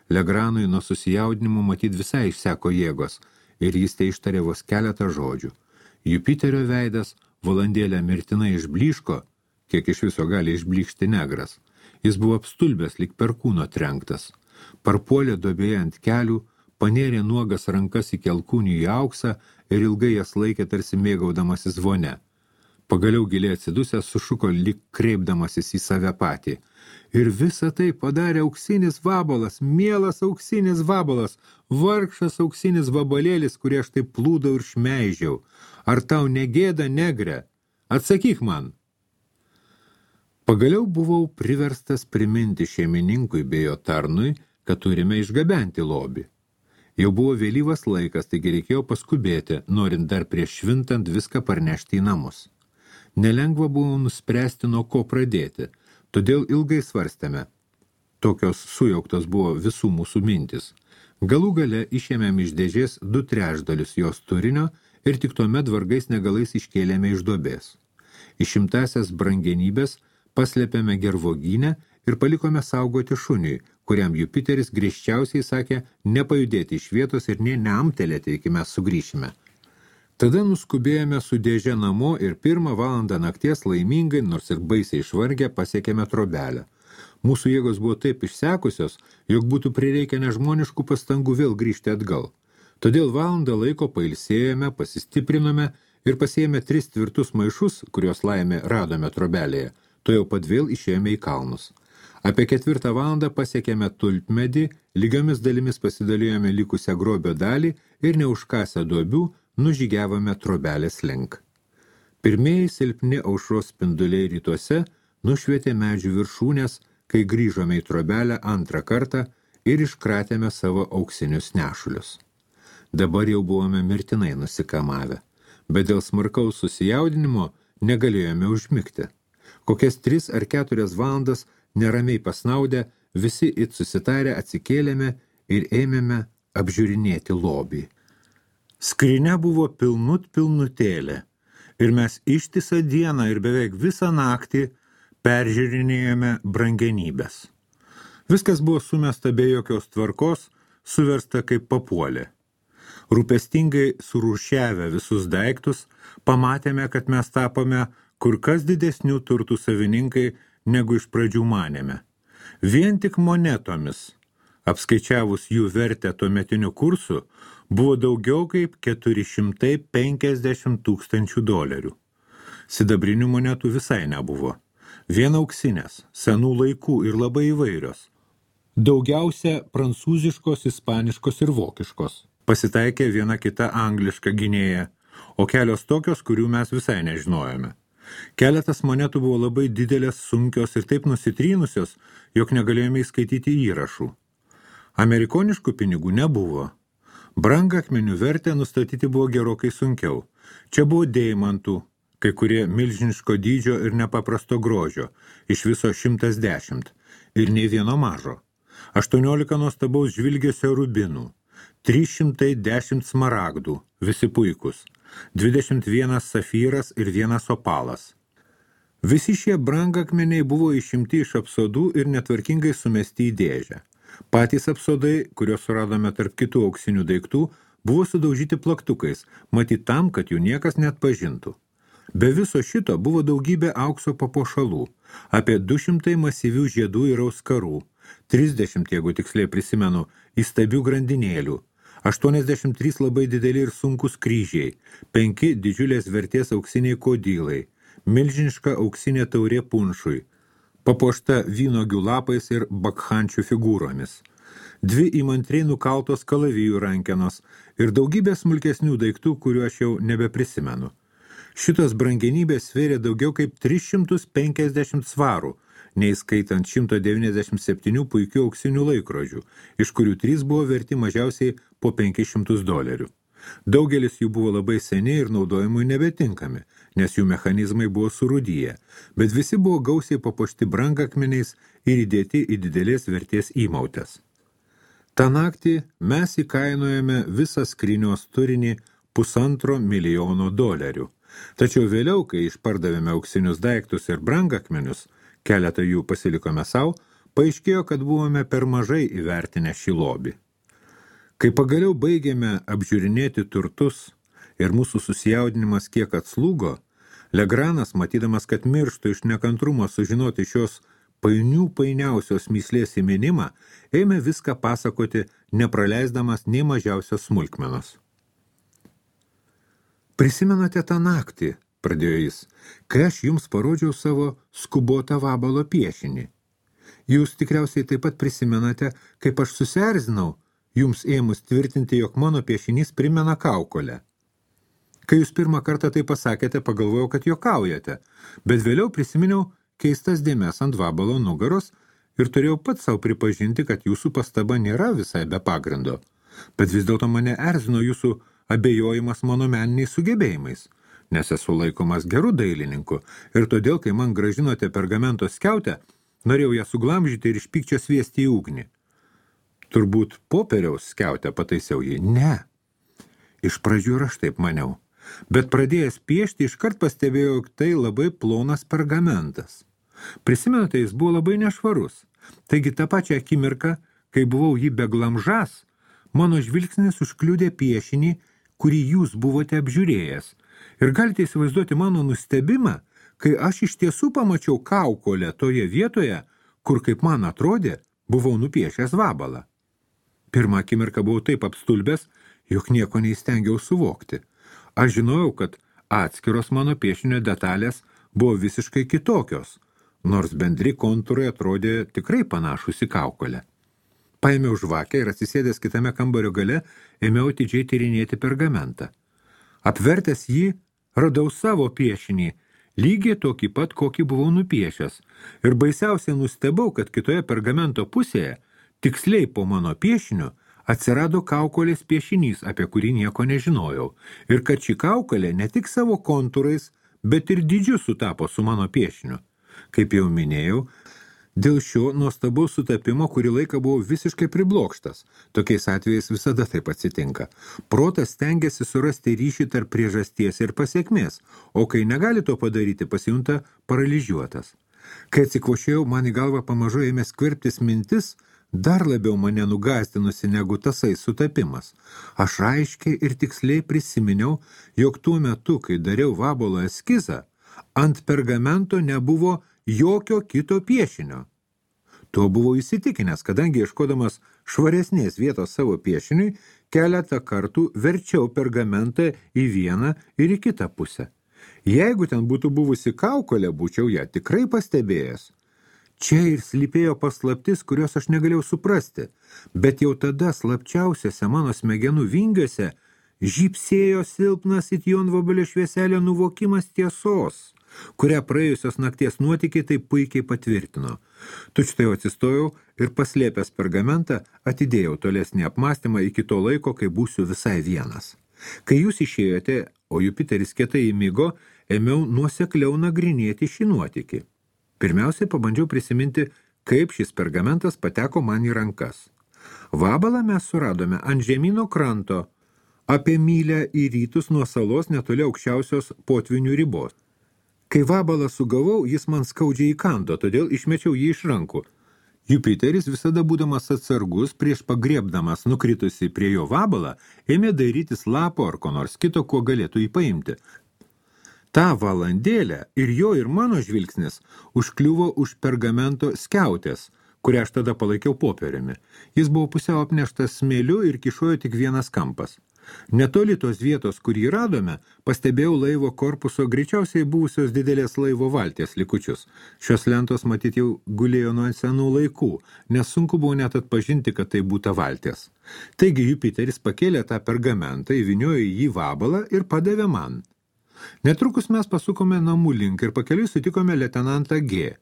Legranui nuo susijaudinimo matyt visai išseko jėgos ir jis tai ištarė vos keletą žodžių. Jupiterio veidas valandėlę mirtinai išblyško, kiek iš viso gali išblykšti negras. Jis buvo apstulbęs lyg per kūno trenktas. Parpuolė duobėje ant kelių, panėrė nuogas rankas į kelkūnį į auksą ir ilgai jas laikė tarsi mėgaudamasis vone. Pagaliau giliai atsidusęs sušuko lyg kreipdamasis į save patį. Ir visą tai padarė auksinis vabalas, mielas auksinis vabalas, vargšas auksinis vabalėlis, kurį aš taip plūdau ir šmeižiau. Ar tau negėda, negre? Atsakyk man. Pagaliau buvau priverstas priminti šeimininkui bei jo tarnui, kad turime išgabenti lobį. Jau buvo vėlyvas laikas, taigi reikėjo paskubėti, norint dar prieš švintant viską parnešti į namus. Nelengva buvo nuspręsti, nuo ko pradėti, todėl ilgai svarstėme. Tokios sujauktos buvo visų mūsų mintis. Galų gale išėmėm iš dėžės 2/3 jos turinio ir tik tuomet vargais negalais iškėlėme iš duobės. Išimtasias brangenybės paslėpėme gervogynę ir palikome saugoti šuniui, kuriam Jupiteris griežčiausiai sakė nepajudėti iš vietos ir nė neamtelėti, iki mes sugrįšime. Tada nuskubėjome su dėže namo ir 1 valandą nakties laimingai, nors ir baisiai išvargę, pasiekėme trobelę. Mūsų jėgos buvo taip išsekusios, jog būtų prireikę nežmoniškų pastangų vėl grįžti atgal. Todėl valandą laiko pailsėjome, pasistiprinome ir pasiėmė 3 tvirtus maišus, kuriuos laimė radome trobelėje. To jau pat vėl išėjome į kalnus. Apie 4 valandą pasiekėme tulpmedį, lygiomis dalimis pasidalijome likusią grobio dalį ir neužkasę duobių nužygiavome trobelės link. Pirmieji silpni aušros spinduliai rytuose nušvietė medžių viršūnės, kai grįžome į trobelę 2 kartą ir iškratėme savo auksinius nešulius. Dabar jau buvome mirtinai nusikamavę, bet dėl smarkaus susijaudinimo negalėjome užmigti. Kokias 3 ar 4 valandas neramiai pasnaudę, visi it susitarę atsikėlėme ir ėmėme apžiūrinėti lobį. Skrynia buvo pilnutėlė ir mes ištisą dieną ir beveik visą naktį peržiūrinėjome brangenybės. Viskas buvo sumesta be jokios tvarkos, suversta kaip papuolė. Rūpestingai surūšiavę visus daiktus, pamatėme, kad mes tapome kur kas didesnių turtų savininkai, negu iš pradžių manėme. Vien tik monetomis, apskaičiavus jų vertę tuometiniu kursu, buvo daugiau kaip 450 000 dolerių. Sidabrinių monetų visai nebuvo. Vien auksinės, senų laikų ir labai įvairios. Daugiausia prancūziškos, ispaniškos ir vokiškos. Pasitaikė viena kita angliška gynėja, o kelios tokios, kurių mes visai nežinojome. Keletas monetų buvo labai didelės, sunkios ir taip nusitrynusios, jog negalėjome įskaityti įrašų. Amerikoniškų pinigų nebuvo. Brangakmenių vertę nustatyti buvo gerokai sunkiau. Čia buvo deimantų, kai kurie milžiniško dydžio ir nepaprasto grožio, iš viso 110, ir nei vieno mažo. 18 nuostabaus žvilgesio rubinų, 310 smaragdų, visi puikus, 21 safyras ir 1 opalas. Visi šie brangakmeniai buvo išimti iš apsodų ir netvarkingai sumesti į dėžę. Patys apsodai, kuriuos suradome tarp kitų auksinių daiktų, buvo sudaužyti plaktukais, matyt tam, kad jų niekas net pažintų. Be viso šito buvo daugybė aukso papuošalų, apie 200 masyvių žiedų ir auskarų, 30, jeigu tiksliai prisimenu, įstabių grandinėlių, 83 labai dideli ir sunkus kryžiai, 5 didžiulės vertės auksiniai kodylai, milžiniška auksinė taurė punšui, papuošta vynuogių lapais ir bakhančių figūromis, 2 įmantriai nukaltos kalavijų rankenos ir daugybė smulkesnių daiktų, kuriuo aš jau nebeprisimenu. Šitos brangenybės svėrė daugiau kaip 350 svarų, neįskaitant 197 puikių auksinių laikrodžių, iš kurių 3 buvo verti mažiausiai po 500 dolerių. Daugelis jų buvo labai seni ir naudojimui nebetinkami, nes jų mechanizmai buvo surūdyję, bet visi buvo gausiai papuošti brangakmeniais ir įdėti į didelės vertės įmautės. Ta naktį mes įkainojame visą skrynios turinį 1,5 milijono dolerių. Tačiau vėliau, kai išpardavėme auksinius daiktus ir brangakmenius, keletą jų pasilikome savo, paaiškėjo, kad buvome per mažai įvertinę šį lobį. Kai pagaliau baigėme apžiūrinėti turtus ir mūsų susijaudinimas kiek atslūgo, Legranas, matydamas, kad mirštų iš nekantrumo sužinoti šios painiausios mįslės įminimą, ėmė viską pasakoti, nepraleisdamas nei mažiausios smulkmenos. Prisimenate tą naktį, pradėjo jis, kai aš jums parodžiau savo skubotą vabalo piešinį. Jūs tikriausiai taip pat prisimenate, kaip aš susierzinau, jums ėmus tvirtinti, jog mano piešinys primena kaukolę. Kai jūs pirmą kartą tai pasakėte, pagalvojau, kad juokaujate, bet vėliau prisiminiau keistas dėmes ant vabalo nugaros ir turėjau pats savo pripažinti, kad jūsų pastaba nėra visai be pagrindo. Bet vis dėlto mane erzino jūsų abejojimas mano meniniais sugebėjimais, nes esu laikomas geru dailininku ir todėl, kai man gražinote pergamento skiautę, norėjau ją suglamžyti ir iš pykčio sviesti į ugnį. Turbūt popieriaus skiautę pataisiau jį. Ne. Iš pradžių ir aš taip maniau. Bet pradėjęs piešti, iškart pastebėjau, jog tai labai plonas pergamentas. Prisimenate, jis buvo labai nešvarus. Taigi tą pačią akimirką, kai buvau jį beglamžas, mano žvilgsnis užkliudė piešinį, kurį jūs buvote apžiūrėjęs. Ir galite įsivaizduoti mano nustebimą, kai aš iš tiesų pamačiau kaukolę toje vietoje, kur, kaip man atrodė, buvau nupiešęs vabalą. Pirmą akimirką buvau taip apstulbęs, jog nieko neįstengiau suvokti. Aš žinojau, kad atskiros mano piešinio detalės buvo visiškai kitokios, nors bendri kontūrai atrodė tikrai panašus į kaukolę. Paėmiau žvakę ir atsisėdęs kitame kambario gale, ėmiau atidžiai tyrinėti pergamentą. Apvertęs jį, radau savo piešinį, lygiai tokį pat, kokį buvau nupiešęs, ir baisiausiai nustebau, kad kitoje pergamento pusėje, tiksliai po mano piešiniu, atsirado kaukolės piešinys, apie kurį nieko nežinojau, ir kad ši kaukolė ne tik savo kontūrais, bet ir dydžiu sutapo su mano piešiniu. Kaip jau minėjau, dėl šio nuostabaus sutapimo kurį laiką buvau visiškai priblokštas. Tokiais atvejais visada taip atsitinka. Protas stengiasi surasti ryšį tarp priežasties ir pasiekmės, o kai negali to padaryti, pasijunta paralyžiuotas. Kai atsikvošėjau, man į galvą pamažu ėmė skverbtis mintis, dar labiau mane nugąsdinusi negu tasai sutapimas. Aš aiškiai ir tiksliai prisiminiau, jog tuo metu, kai dariau vabalo eskizą, ant pergamento nebuvo jokio kito piešinio. Tuo buvau įsitikinęs, kadangi ieškodamas švaresnės vietos savo piešiniui, keletą kartų verčiau pergamentą į vieną ir į kitą pusę. Jeigu ten būtų buvusi kaukolė, būčiau ją tikrai pastebėjęs. Čia ir slypėjo paslaptis, kurios aš negalėjau suprasti, bet jau tada slapčiausiose mano smegenų vingiuose žybsėjo silpnas it jonvabalio švieselio nuvokimas tiesos, kurią praėjusios nakties nuotykiai taip puikiai patvirtino. Tučtai atsistojau ir paslėpęs pergamentą atidėjau tolesnį apmąstymą iki to laiko, kai būsiu visai vienas. Kai jūs išėjote, o Jupiteris kietai įmigo, ėmiau nuosekliau nagrinėti šį nuotykį. Pirmiausiai pabandžiau prisiminti, kaip šis pergamentas pateko man į rankas. Vabalą mes suradome ant žemyno kranto, apie mylę į rytus nuo salos netoli aukščiausios potvinių ribos. Kai vabalą sugavau, jis man skaudžiai įkando, todėl išmečiau jį iš rankų. Jupiteris, visada būdamas atsargus, prieš pagriebdamas nukritusi prie jo vabalą, ėmė dairytis lapo ar ko nors kito, kuo galėtų jį paimti. Ta valandėlę ir jo ir mano žvilgsnis užkliuvo už pergamento skiautės, kurią aš tada palaikiau popieriumi. Jis buvo pusiau apneštas smėliu ir kišojo tik vienas kampas. Netoli tos vietos, kur jį radome, pastebėjau laivo korpuso greičiausiai buvusios didelės laivo valties likučius. Šios lentos matyt jau gulėjo nuo senų laikų, nes sunku buvo net atpažinti, kad tai būta valties. Taigi Jupiteris pakėlė tą pergamentą, įvyniojo į jį vabalą ir padavė man. Netrukus mes pasukome namų link ir pakeliui sutikome leitenantą G.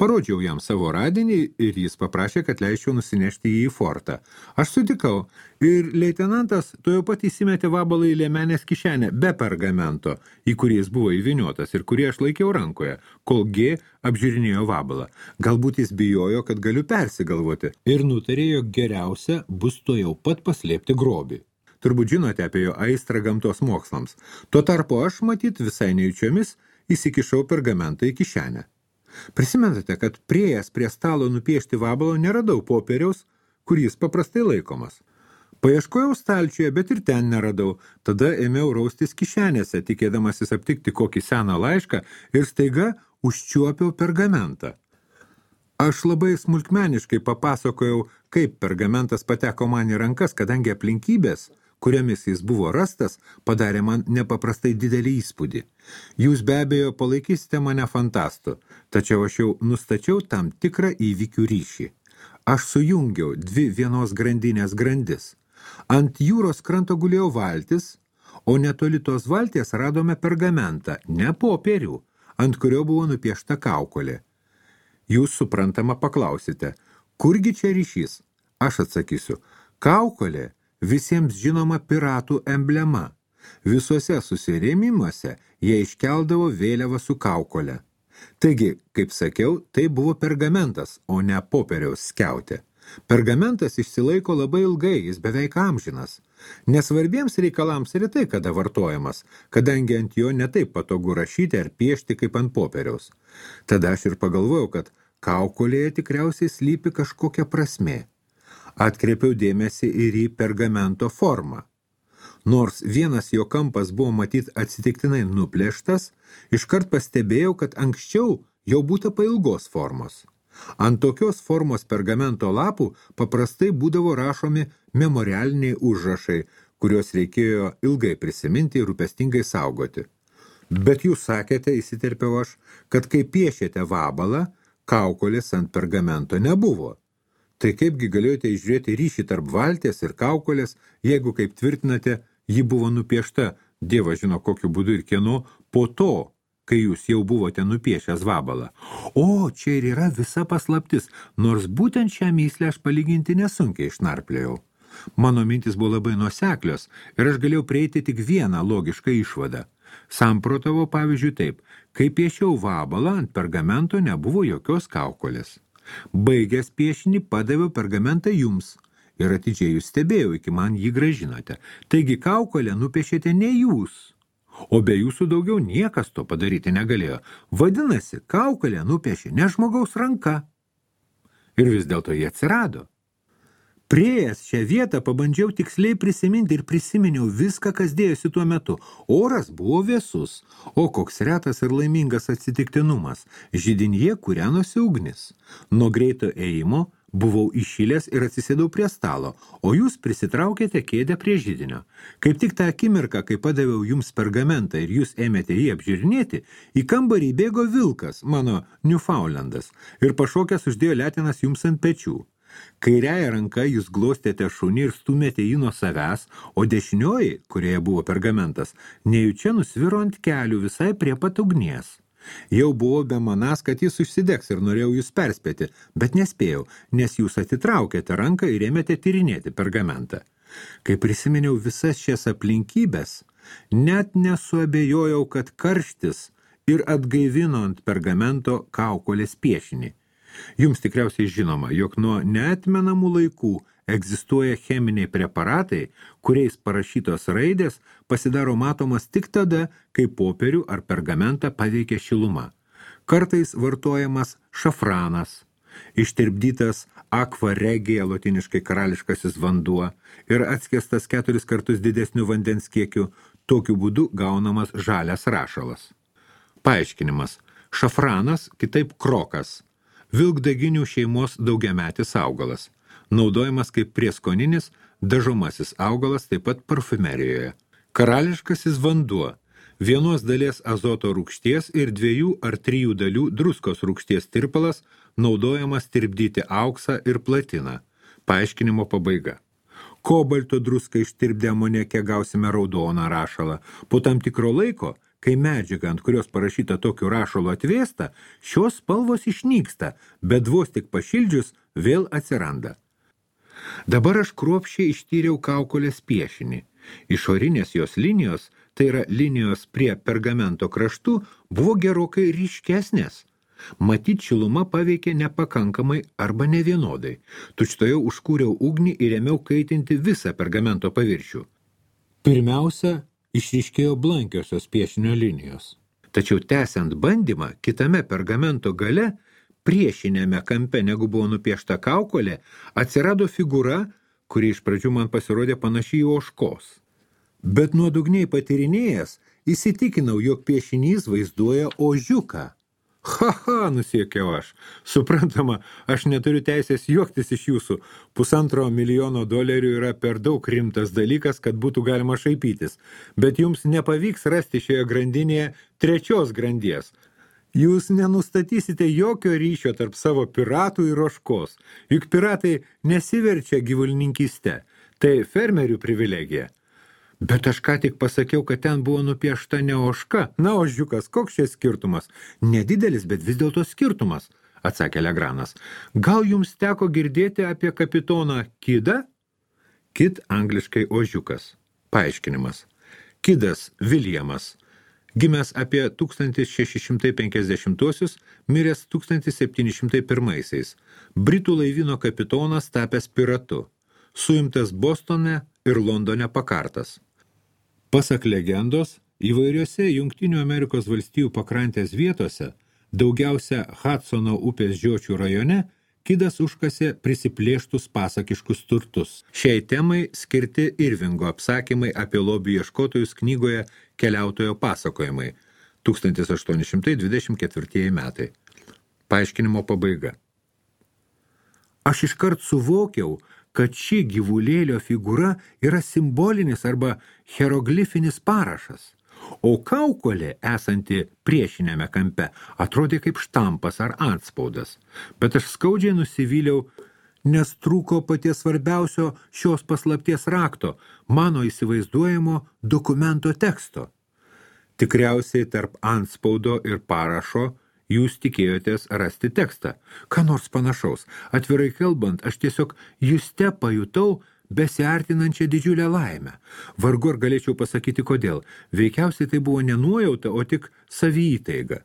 Parodžiau jam savo radinį ir jis paprašė, kad leisčiau nusinešti jį į fortą. Aš sutikau ir leitenantas tuojau pat įsimetė vabalą į liemenės kišenę be pergamento, į kurį jis buvo įvyniotas ir kurį aš laikiau rankoje, kol G apžiūrinėjo vabalą. Galbūt jis bijojo, kad galiu persigalvoti ir nutarė, jog geriausia bus tuojau pat paslėpti grobį. Turbūt žinote apie jo aistrą gamtos mokslams. Tuo tarpu aš, matyt, visai nejučiomis įsikišau pergamentą į kišenę. Prisimenate, kad priėjęs prie stalo nupiešti vabalo neradau popieriaus, kur jis paprastai laikomas. Paieškojau stalčiuje, bet ir ten neradau. Tada ėmiau raustis kišenėse, tikėdamasis aptikti kokį seną laišką ir staiga užčiuopiau pergamentą. Aš labai smulkmeniškai papasakojau, kaip pergamentas pateko man į rankas, kadangi aplinkybės, kuriomis jis buvo rastas, padarė man nepaprastai didelį įspūdį. Jūs be abejo palaikysite mane fantastu, tačiau aš jau nustačiau tam tikrą įvykių ryšį. Aš sujungiau dvi vienos grandinės grandis. Ant jūros kranto gulėjo valtis, o netoli tos valties radome pergamentą, ne popierių, ant kurio buvo nupiešta kaukolė. Jūs suprantama paklausite, kurgi čia ryšys? Aš atsakysiu, kaukolė visiems žinoma piratų emblema. Visuose susirėmimuose jie iškeldavo vėliavą su kaukolė. Taigi, kaip sakiau, tai buvo pergamentas, o ne popieriaus skiautė. Pergamentas išsilaiko labai ilgai, jis beveik amžinas. Nesvarbiems reikalams retai kada vartojamas, kadangi ant jo netaip patogu rašyti ar piešti kaip ant popieriaus. Tada aš ir pagalvojau, kad kaukolėje tikriausiai slypi kažkokia prasmė. Atkreipiau dėmesį ir į pergamento formą. Nors vienas jo kampas buvo matyt atsitiktinai nuplėštas, iškart pastebėjau, kad anksčiau jau būta pailgos formos. Ant tokios formos pergamento lapų paprastai būdavo rašomi memorialiniai užrašai, kuriuos reikėjo ilgai prisiminti ir rūpestingai saugoti. Bet jūs sakėte, įsiterpiau aš, kad kai piešėte vabalą, kaukolės ant pergamento nebuvo. Tai kaipgi galėjote išžiūrėti ryšį tarp valties ir kaukolės, jeigu, kaip tvirtinate, ji buvo nupiešta, Dievas žino kokiu būdu ir kieno, po to, kai jūs jau buvote nupiešęs vabalą. O, čia ir yra visa paslaptis, nors būtent šią myslę aš palyginti nesunkiai išnarplėjau. Mano mintis buvo labai nuoseklios ir aš galėjau prieiti tik vieną logišką išvadą. Samprotavo pavyzdžiui taip, kai piešiau vabalą, ant pergamento nebuvo jokios kaukolės. Baigęs piešinį padaviau pergamentą jums ir atidžiai jūs stebėjau, iki man jį gražinote. Taigi kaukolę nupiešėte ne jūs, o be jūsų daugiau niekas to padaryti negalėjo. Vadinasi, kaukolę nupiešė ne žmogaus ranka. Ir vis dėlto jie atsirado. Priėjęs šią vietą pabandžiau tiksliai prisiminti ir prisiminiau viską, kas dėjosi tuo metu. Oras buvo vėsus, o koks retas ir laimingas atsitiktinumas. Židinyje kūrenosi ugnis. Nuo greito ėjimo buvau iššilęs ir atsisėdau prie stalo, o jūs prisitraukėte kėdę prie židinio. Kaip tik tą akimirką, kai padaviau jums pergamentą ir jūs ėmėte jį apžiūrinėti, į kambarį bėgo vilkas, mano Newfoundlandas, ir pašokęs uždėjo letinas jums ant pečių. Kairiąja ranka jūs glostėte šunį ir stumėte jį nuo savęs, o dešinioji, kurioje buvo pergamentas, nejučia nusviro ant kelių visai prie pat ugnies. Jau buvo bemanas, kad jis užsidegs ir norėjau jūs perspėti, bet nespėjau, nes jūs atitraukėte ranką ir ėmėte tyrinėti pergamentą. Kai prisiminiau visas šias aplinkybės, net nesuabejojau, kad karštis ir atgaivino ant pergamento kaukolės piešinį. Jums tikriausiai žinoma, jog nuo neatmenamų laikų egzistuoja cheminiai preparatai, kuriais parašytos raidės pasidaro matomas tik tada, kai popierių ar pergamentą paveikia šiluma. Kartais vartojamas šafranas, ištirpdytas aqua regia, lotiniškai karališkasis vanduo, ir atskiestas 4 kartus didesniu vandens kiekiu, tokiu būdu gaunamas žalias rašalas. Paaiškinimas. Šafranas, kitaip krokas, vilkdaginių šeimos daugiametis augalas, naudojamas kaip prieskoninis, dažomasis augalas taip pat parfumerijoje. Karališkasis vanduo, 1 dalies azoto rūgšties ir 2 ar 3 dalių druskos rūgšties tirpalas, naudojamas tirpdyti auksą ir platiną. Paaiškinimo pabaiga. Kobalto druską ištirpdę amoniake gausime raudoną rašalą. Po tam tikro laiko, kai medžiaga, ant kurios parašyta tokiu rašalu atvėsta, šios spalvos išnyksta, bet vos tik pašildžius vėl atsiranda. Dabar aš kruopščiai ištyriau kaukolės piešinį. Išorinės jos linijos, tai yra linijos prie pergamento kraštų, buvo gerokai ryškesnės. Matyt, šiluma paveikė nepakankamai arba nevienodai. Tučtojau užkūriau ugnį ir ėmiau kaitinti visą pergamento paviršių. Pirmiausia, išryškėjo blankiosios piešinio linijos. Tačiau tęsiant bandymą, kitame pergamento gale, priešinėme kampe, negu buvo nupiešta kaukolė, atsirado figūra, kuri iš pradžių man pasirodė panaši į ožkos. Bet nuodugniai patyrinėjęs, įsitikinau, jog piešinys vaizduoja ožiuką. Ha, nusiekiau aš. Suprantama, aš neturiu teisės juoktis iš jūsų. $1,5 milijono yra per daug rimtas dalykas, kad būtų galima šaipytis. Bet jums nepavyks rasti šioje grandinėje trečios grandies. Jūs nenustatysite jokio ryšio tarp savo piratų ir ožkos. Juk piratai nesiverčia gyvulininkyste. Tai fermerių privilegija. Bet aš ką tik pasakiau, kad ten buvo nupiešta ne ožka. Na, ožiukas, koks čia skirtumas? Nedidelis, bet vis dėlto skirtumas, atsakė Legranas. Gal jums teko girdėti apie kapitoną Kidą? Kid angliškai ožiukas. Paaiškinimas. Kidas Viljamas. Gimęs apie 1650-uosius, miręs 1701-aisiais. Britų laivyno kapitonas tapęs piratu. Suimtas Bostone ir Londone pakartas. Pasak legendos, įvairiose Jungtinių Amerikos valstijų pakrantės vietose, daugiausia Hudsono upės žiočių rajone, Kidas užkasė prisiplėštus pasakiškus turtus. Šiai temai skirti Irvingo apsakymai apie lobių ieškotojus knygoje Keliautojo pasakojimai 1824 metai. Paaiškinimo pabaiga. Aš iškart suvokiau, kad ši gyvulėlio figūra yra simbolinis arba hieroglifinis parašas, o kaukolė, esanti priešiniame kampe, atrodė kaip štampas ar antspaudas. Bet aš skaudžiai nusivyliau, nes trūko paties svarbiausio šios paslapties rakto, mano įsivaizduojamo dokumento teksto. Tikriausiai tarp antspaudo ir parašo jūs tikėjotės rasti tekstą. Ką nors panašaus. Atvirai kalbant, aš tiesiog juste pajutau besiartinančią didžiulę laimę. Vargu ar galėčiau pasakyti kodėl. Veikiausiai tai buvo ne nuojauta, o tik saviįtaiga.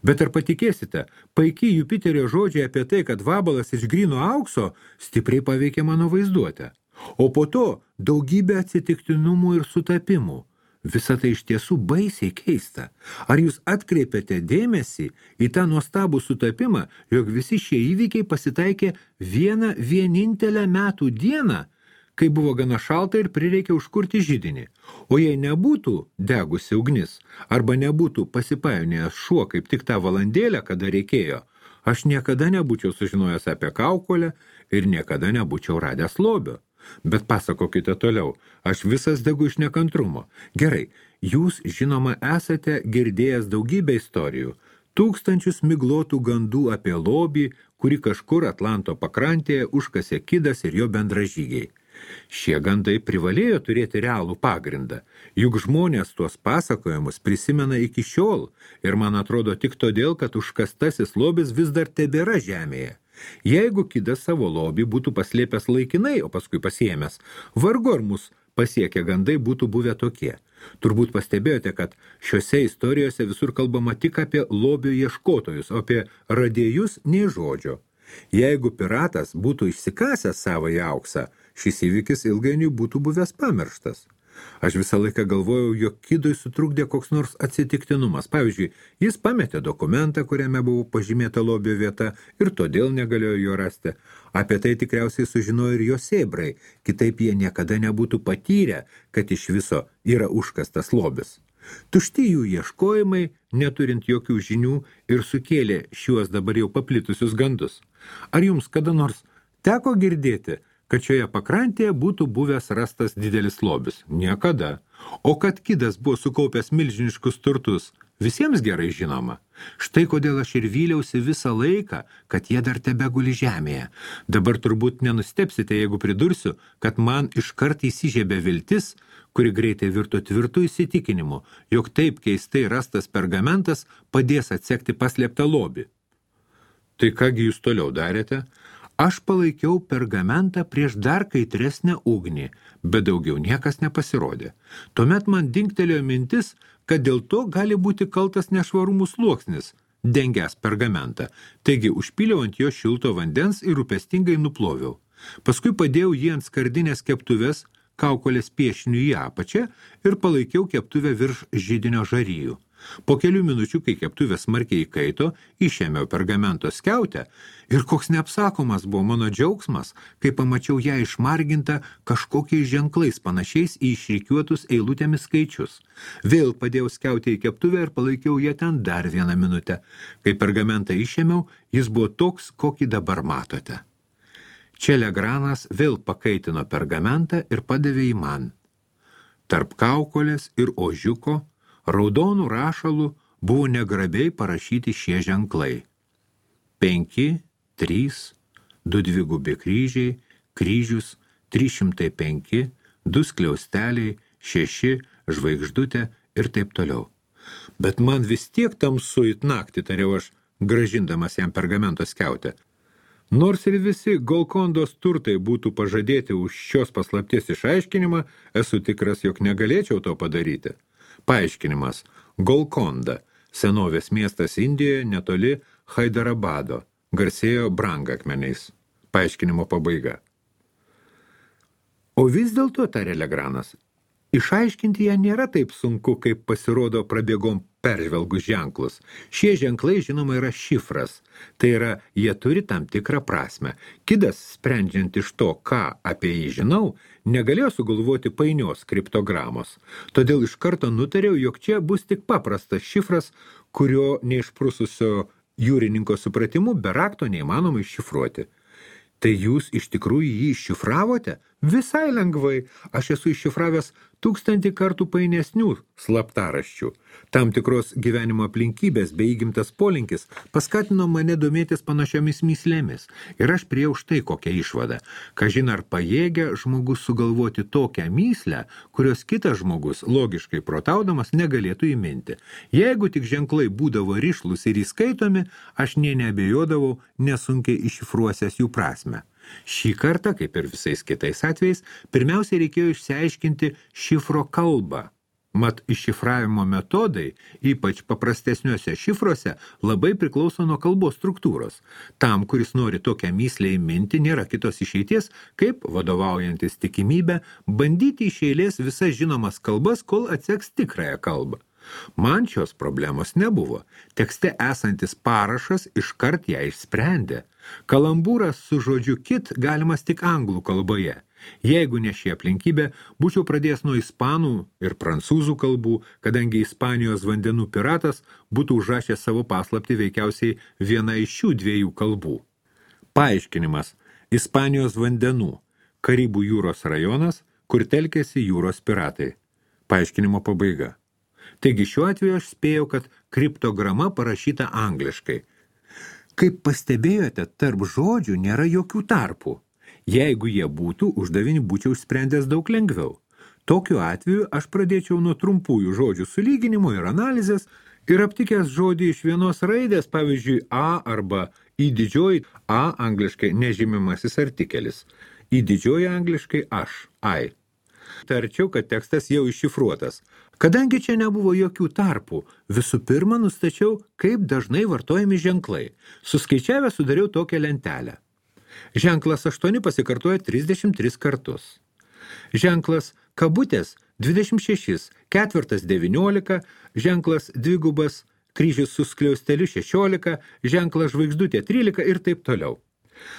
Bet ar patikėsite, paiki Jupiterio žodžiai apie tai, kad vabalas iš gryno aukso stipriai paveikė mano vaizduotę. O po to daugybė atsitiktinumų ir sutapimų. Visa tai iš tiesų baisiai keista. Ar jūs atkreipėte dėmesį į tą nuostabų sutapimą, jog visi šie įvykiai pasitaikė vienintelę metų dieną, kai buvo gana šalta ir prireikė užkurti židinį? O jei nebūtų degusi ugnis, arba nebūtų pasipainėjęs šuo kaip tik tą valandėlę, kada reikėjo, aš niekada nebūčiau sužinojęs apie kaukolę ir niekada nebūčiau radęs lobio. Bet pasakokite toliau, aš visas degu iš nekantrumo. Gerai, jūs, žinoma, esate girdėjęs daugybę istorijų, tūkstančius miglotų gandų apie lobį, kurį kažkur Atlanto pakrantėje užkasė Kidas ir jo bendražygiai. Šie gandai privalėjo turėti realų pagrindą, juk žmonės tuos pasakojimus prisimena iki šiol ir man atrodo tik todėl, kad užkastasis lobis vis dar tebėra žemėje. Jeigu Kidas savo lobį būtų paslėpęs laikinai, o paskui pasiėmęs, vargu ar mus pasiekę gandai būtų buvę tokie. Turbūt pastebėjote, kad šiose istorijose visur kalbama tik apie lobio ieškotojus, o apie radėjus nei žodžio. Jeigu piratas būtų išsikasęs savąjį auksą, šis įvykis ilgainiui būtų buvęs pamirštas. Aš visą laiką galvojau, jog Kidui sutrukdė koks nors atsitiktinumas. Pavyzdžiui, jis pametė dokumentą, kuriame buvo pažymėta lobio vieta ir todėl negalėjo jo rasti. Apie tai tikriausiai sužinojo ir jo sėbrai, kitaip jie niekada nebūtų patyrę, kad iš viso yra užkastas lobis. Tušti jų ieškojimai, neturint jokių žinių, ir sukėlė šiuos dabar jau paplitusius gandus. Ar jums kada nors teko girdėti, kad šioje pakrantėje būtų buvęs rastas didelis lobis? Niekada. O kad Kidas buvo sukaupęs milžiniškus turtus, visiems gerai žinoma. Štai kodėl aš ir vyliausi visą laiką, kad jie dar tebeguli žemėje. Dabar turbūt nenustepsite, jeigu pridursiu, kad man iškart įsižiebė viltis, kuri greitai virto tvirtų įsitikinimu, jog taip keistai rastas pergamentas padės atsekti paslėptą lobį. Tai kągi jūs toliau darėte? Aš palaikiau pergamentą prieš dar kaitresnę ugnį, bet daugiau niekas nepasirodė. Tuomet man dingtelėjo mintis, kad dėl to gali būti kaltas nešvarumų sluoksnis, dengęs pergamentą. Taigi užpyliau ant jo šilto vandens ir rūpestingai nuploviau. Paskui padėjau jį ant skardinės keptuvės, kaukolės piešinių į apačią ir palaikiau keptuvę virš židinio žarijų. Po kelių minučių, kai keptuvė smarkiai įkaito, išėmiau pergamento skiautę ir koks neapsakomas buvo mano džiaugsmas, kai pamačiau ją išmargintą kažkokiais ženklais panašiais į išrikiuotus eilutėmis skaičius. Vėl padėjau skiautę į keptuvę ir palaikiau ją ten dar 1 minutę. Kai pergamentą išėmiau, jis buvo toks, kokį dabar matote. Čia Legranas vėl pakaitino pergamentą ir padavė į man. Tarp kaukolės ir ožiuko raudonų rašalų buvo negrabiai parašyti šie ženklai. 5, 3, 2 dvigubi kryžiai, kryžius, 305, 2 skliausteliai, 6, žvaigždutė ir taip toliau. Bet man vis tiek tamsu it naktį, tariau aš, grąžindamas jam pergamento skiautę. Nors ir visi Golkondos turtai būtų pažadėti už šios paslapties išaiškinimą, esu tikras, jog negalėčiau to padaryti. Paaiškinimas. Golkonda, senovės miestas Indijoje netoli Haidarabado, garsėjo brangakmeniais. Paaiškinimo pabaiga. O vis dėlto, tarė Legranas, išaiškinti ją nėra taip sunku, kaip pasirodo prabėgom peržvelgus ženklus. Šie ženklai, žinoma, yra šifras. Tai yra, jie turi tam tikrą prasmę. Kidas, sprendžiant iš to, ką apie jį žinau, negalėjo sugalvoti painios kriptogramos. Todėl iš karto nutariau, jog čia bus tik paprastas šifras, kurio neišprususio jūrininko supratimu be rakto neįmanoma iššifruoti. Tai jūs iš tikrųjų jį iššifravote? Visai lengvai. Aš esu iššifravęs 1000 kartų painesnių slaptaraščių. Tam tikros gyvenimo aplinkybės bei įgimtas polinkis paskatino mane domėtis panašiomis myslėmis. Ir aš priėjau štai kokią išvadą. Kažin ar pajėgia žmogus sugalvoti tokią myslę, kurios kitas žmogus, logiškai protaudamas, negalėtų įminti. Jeigu tik ženklai būdavo rišlus ir įskaitomi, aš nė neabejodavau nesunkiai iššifruosęs jų prasmę. Šį kartą, kaip ir visais kitais atvejais, pirmiausiai reikėjo išsiaiškinti šifro kalbą. Mat iššifravimo metodai, ypač paprastesniuose šifruose, labai priklauso nuo kalbos struktūros. Tam, kuris nori tokią myslę įminti, nėra kitos išeities, kaip, vadovaujantis tikimybę, bandyti iš eilės visas žinomas kalbas, kol atseks tikrąją kalbą. Man šios problemos nebuvo. Tekste esantis parašas iškart ją išsprendė. Kalambūras su žodžiu kit galimas tik anglų kalboje. Jeigu ne ši aplinkybė, būčiau pradėjęs nuo ispanų ir prancūzų kalbų, kadangi Ispanijos vandenų piratas būtų užrašęs savo paslaptį veikiausiai viena iš šių 2 kalbų. Paaiškinimas. Ispanijos vandenų. Karibų jūros rajonas, kur telkėsi jūros piratai. Paaiškinimo pabaiga. Taigi šiuo atveju aš spėjau, kad kriptograma parašyta angliškai. Kaip pastebėjote, tarp žodžių nėra jokių tarpų. Jeigu jie būtų, uždavinį būčiau išsprendęs daug lengviau. Tokiu atveju aš pradėčiau nuo trumpųjų žodžių sulyginimo ir analizės ir aptikęs žodį iš vienos raidės, pavyzdžiui, A arba į didžioji A angliškai nežymimasis artikelis, į didžioji angliškai aš, I. Tarčiau, kad tekstas jau iššifruotas. Kadangi čia nebuvo jokių tarpų, visų pirma nustačiau, kaip dažnai vartojami ženklai. Suskaičiavę sudariau tokią lentelę. Ženklas 8 pasikartoja 33 kartus. Ženklas kabutės 26, ketvirtas 19, ženklas dvigubas kryžius su skliausteliu 16, ženklas žvaigždutė 13 ir taip toliau.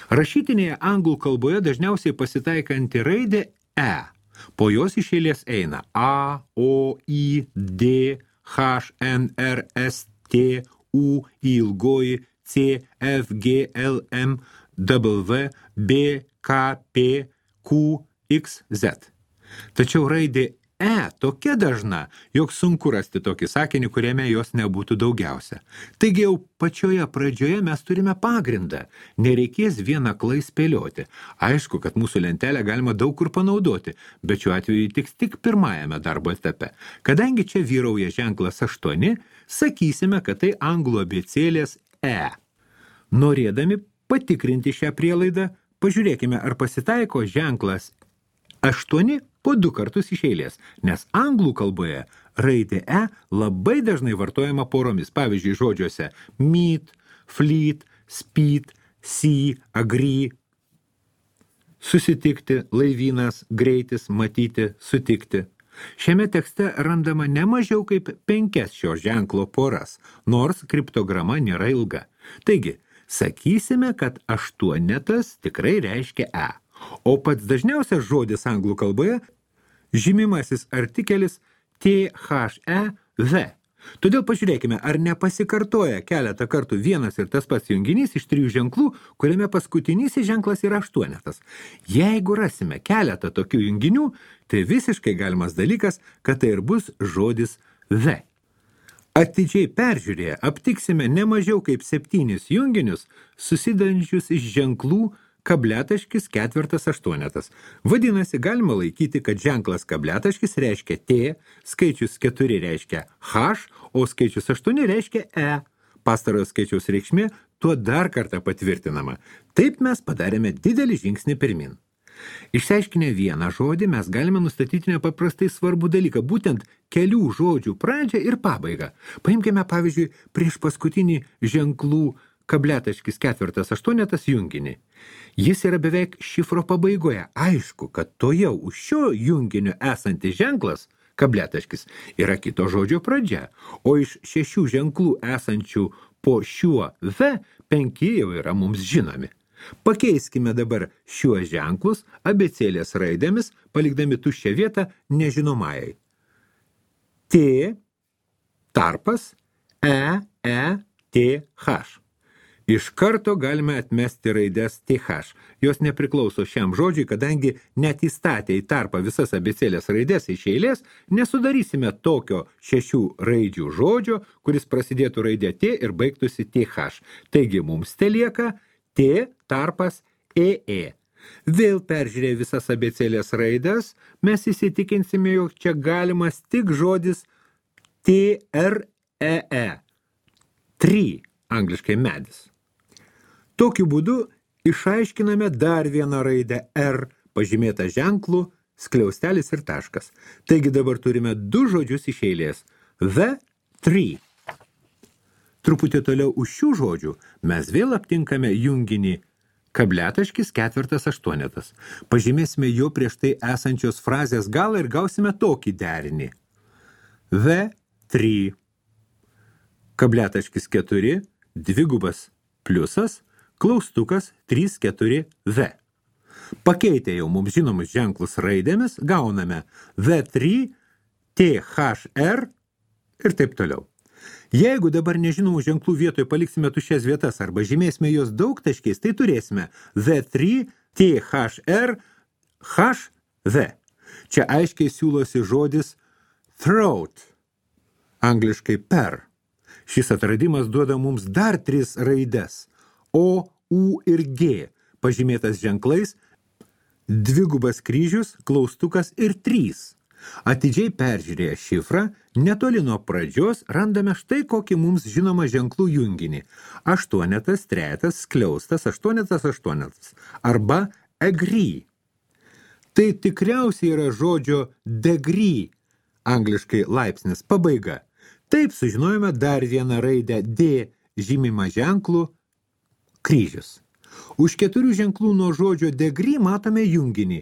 Rašytinėje anglų kalboje dažniausiai pasitaikanti raidė E. Po jos iš eilės eina A, O, I, D, H, N, R, S, T, U, ilgoji, C, F, G, L, M, W, B, K, P, Q, X, Z. Tačiau raidė E tokia dažna, jog sunku rasti tokį sakinį, kuriame jos nebūtų daugiausia. Taigi jau pačioje pradžioje mes turime pagrindą. Nereikės vien aklai spėlioti. Aišku, kad mūsų lentelę galima daug kur panaudoti, bet šiuo atveju tiks tik pirmajame darbo etape. Kadangi čia vyrauja ženklas 8, sakysime, kad tai anglų abėcėlės E. Norėdami patikrinti šią prielaidą, pažiūrėkime, ar pasitaiko ženklas 8 po 2 kartus iš eilės, nes anglų kalboje raidė E labai dažnai vartojama poromis, pavyzdžiui, žodžiuose meet, fleet, speed, see, agree, susitikti, laivynas, greitis, matyti, sutikti. Šiame tekste randama ne mažiau kaip 5 šio ženklo poras, nors kriptograma nėra ilga. Taigi, sakysime, kad 8 tikrai reiškia E, o pats dažniausias žodis anglų kalboje žymimasis artikelis THEV. Todėl pažiūrėkime, ar nepasikartoja keletą kartų vienas ir tas pats junginys iš 3 ženklų, kuriame paskutinysis ženklas yra 8. Jeigu rasime keletą tokių junginių, tai visiškai galimas dalykas, kad tai ir bus žodis V. Atidžiai peržiūrėję aptiksime ne mažiau kaip 7 junginius, susidedančius iš ženklų kabletaškis 4-8. Vadinasi, galima laikyti, kad ženklas kabletaškis reiškia T, skaičius 4 reiškia H, o skaičius 8 reiškia E. Pastarojo skaičiaus reikšmė tuo dar kartą patvirtinama. Taip mes padarėme didelį žingsnį pirmin. Išsiaiškinę vieną žodį, mes galime nustatyti nepaprastai svarbų dalyką, būtent kelių žodžių pradžią ir pabaigą. Paimkime, pavyzdžiui, prieš paskutinį ženklų kabletaškis 4-8 junginį. Jis yra beveik šifro pabaigoje. Aišku, kad tojau už šio junginio esantis ženklas, kabletaškis, yra kito žodžio pradžia, o iš 6 ženklų esančių po šiuo V 5 jau yra mums žinomi. Pakeiskime dabar šiuos ženklus abėcėlės raidėmis, palikdami tuščią vietą nežinomajai. T, tarpas, TH. Iš karto galime atmesti raides TH. Jos nepriklauso šiam žodžiui, kadangi net įstatę į tarpą visas abėcėlės raides iš eilės, nesudarysime tokio 6 raidžių žodžio, kuris prasidėtų raidė T ir baigtųsi TH. Taigi mums telieka T tarpas EE. Vėl peržiūrėję visas abėcėlės raides, mes įsitikinsime, jog čia galimas tik žodis TREE. Tree, angliškai medis. Tokiu būdu išaiškiname dar vieną raidę R, pažymėtą ženklų, skliaustelis ir taškas. Taigi dabar turime 2 žodžius iš eilės. The tree. Truputį toliau už šių žodžių mes vėl aptinkame junginį kabletaškis 4-8. Pažymėsime jo prieš tai esančios frazės galą ir gausime tokį derinį. The tree. Kabletaškis 4, dvigubas pliusas, klaustukas 3-4 V. Pakeitę jau mums žinomus ženklus raidėmis, gauname V3, THR ir taip toliau. Jeigu dabar nežinomų ženklų vietoje paliksime tuščias vietas arba žymėsime jos daugtaškiais, tai turėsime V3, THR, HV. Čia aiškiai siūlosi žodis throat, angliškai per. Šis atradimas duoda mums dar 3 raides – O, U ir G, pažymėtas ženklais, dvigubas kryžius, klaustukas ir 3. Atidžiai peržiūrėję šifrą, netoli nuo pradžios randame štai kokį mums žinomą ženklų junginį. 8, 3, skliaustas, 8, 8 arba agree. Tai tikriausiai yra žodžio degree, angliškai laipsnis, pabaiga. Taip sužinojome dar vieną raidę D žymimą ženklų kryžius. Už 4 ženklų nuo žodžio degree matome junginį.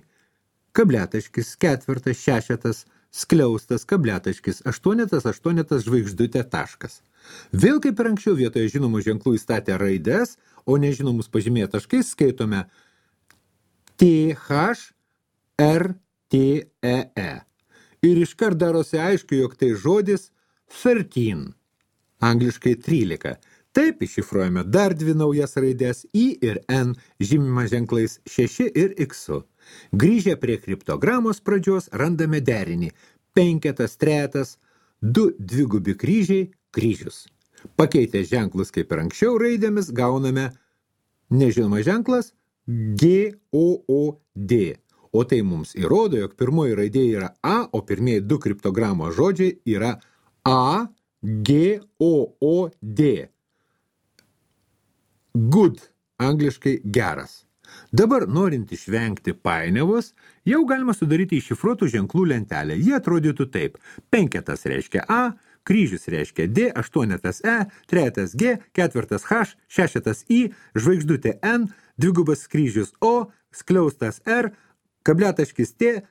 Kabletaškis 4, 6, skliaustas, kabletaškis 8, 8 žvaigždutė taškas. Vėl kaip ir anksčiau vietoje žinomų ženklų įstatę raides, o nežinomus pažymėję taškais skaitome TH, R, T, E. Ir iškart darosi aišku, jog tai žodis 13, angliškai 13. Taip iššifruojame dar 2 naujas raidės I ir N, žymimą ženklais 6 ir X. Grįžę prie kriptogramos pradžios randame derinį 5, 3, 2 dvigubi kryžiai, kryžius. Pakeitę ženklus kaip ir anksčiau raidėmis gauname nežinoma ženklas GOOD. O tai mums įrodo, jog pirmoji raidė yra A, o pirmieji 2 kriptogramos žodžiai yra A, G, O, D. Good, angliškai geras. Dabar, norint išvengti painiavos, jau galima sudaryti iššifruotų ženklų lentelę. Jie atrodytų taip. 5 reiškia A, kryžius reiškia D, 8 E, 3 G, 4 H, 6 I, žvaigždutė N, dvigubas kryžius O, skliaustas R, kabletaškis T,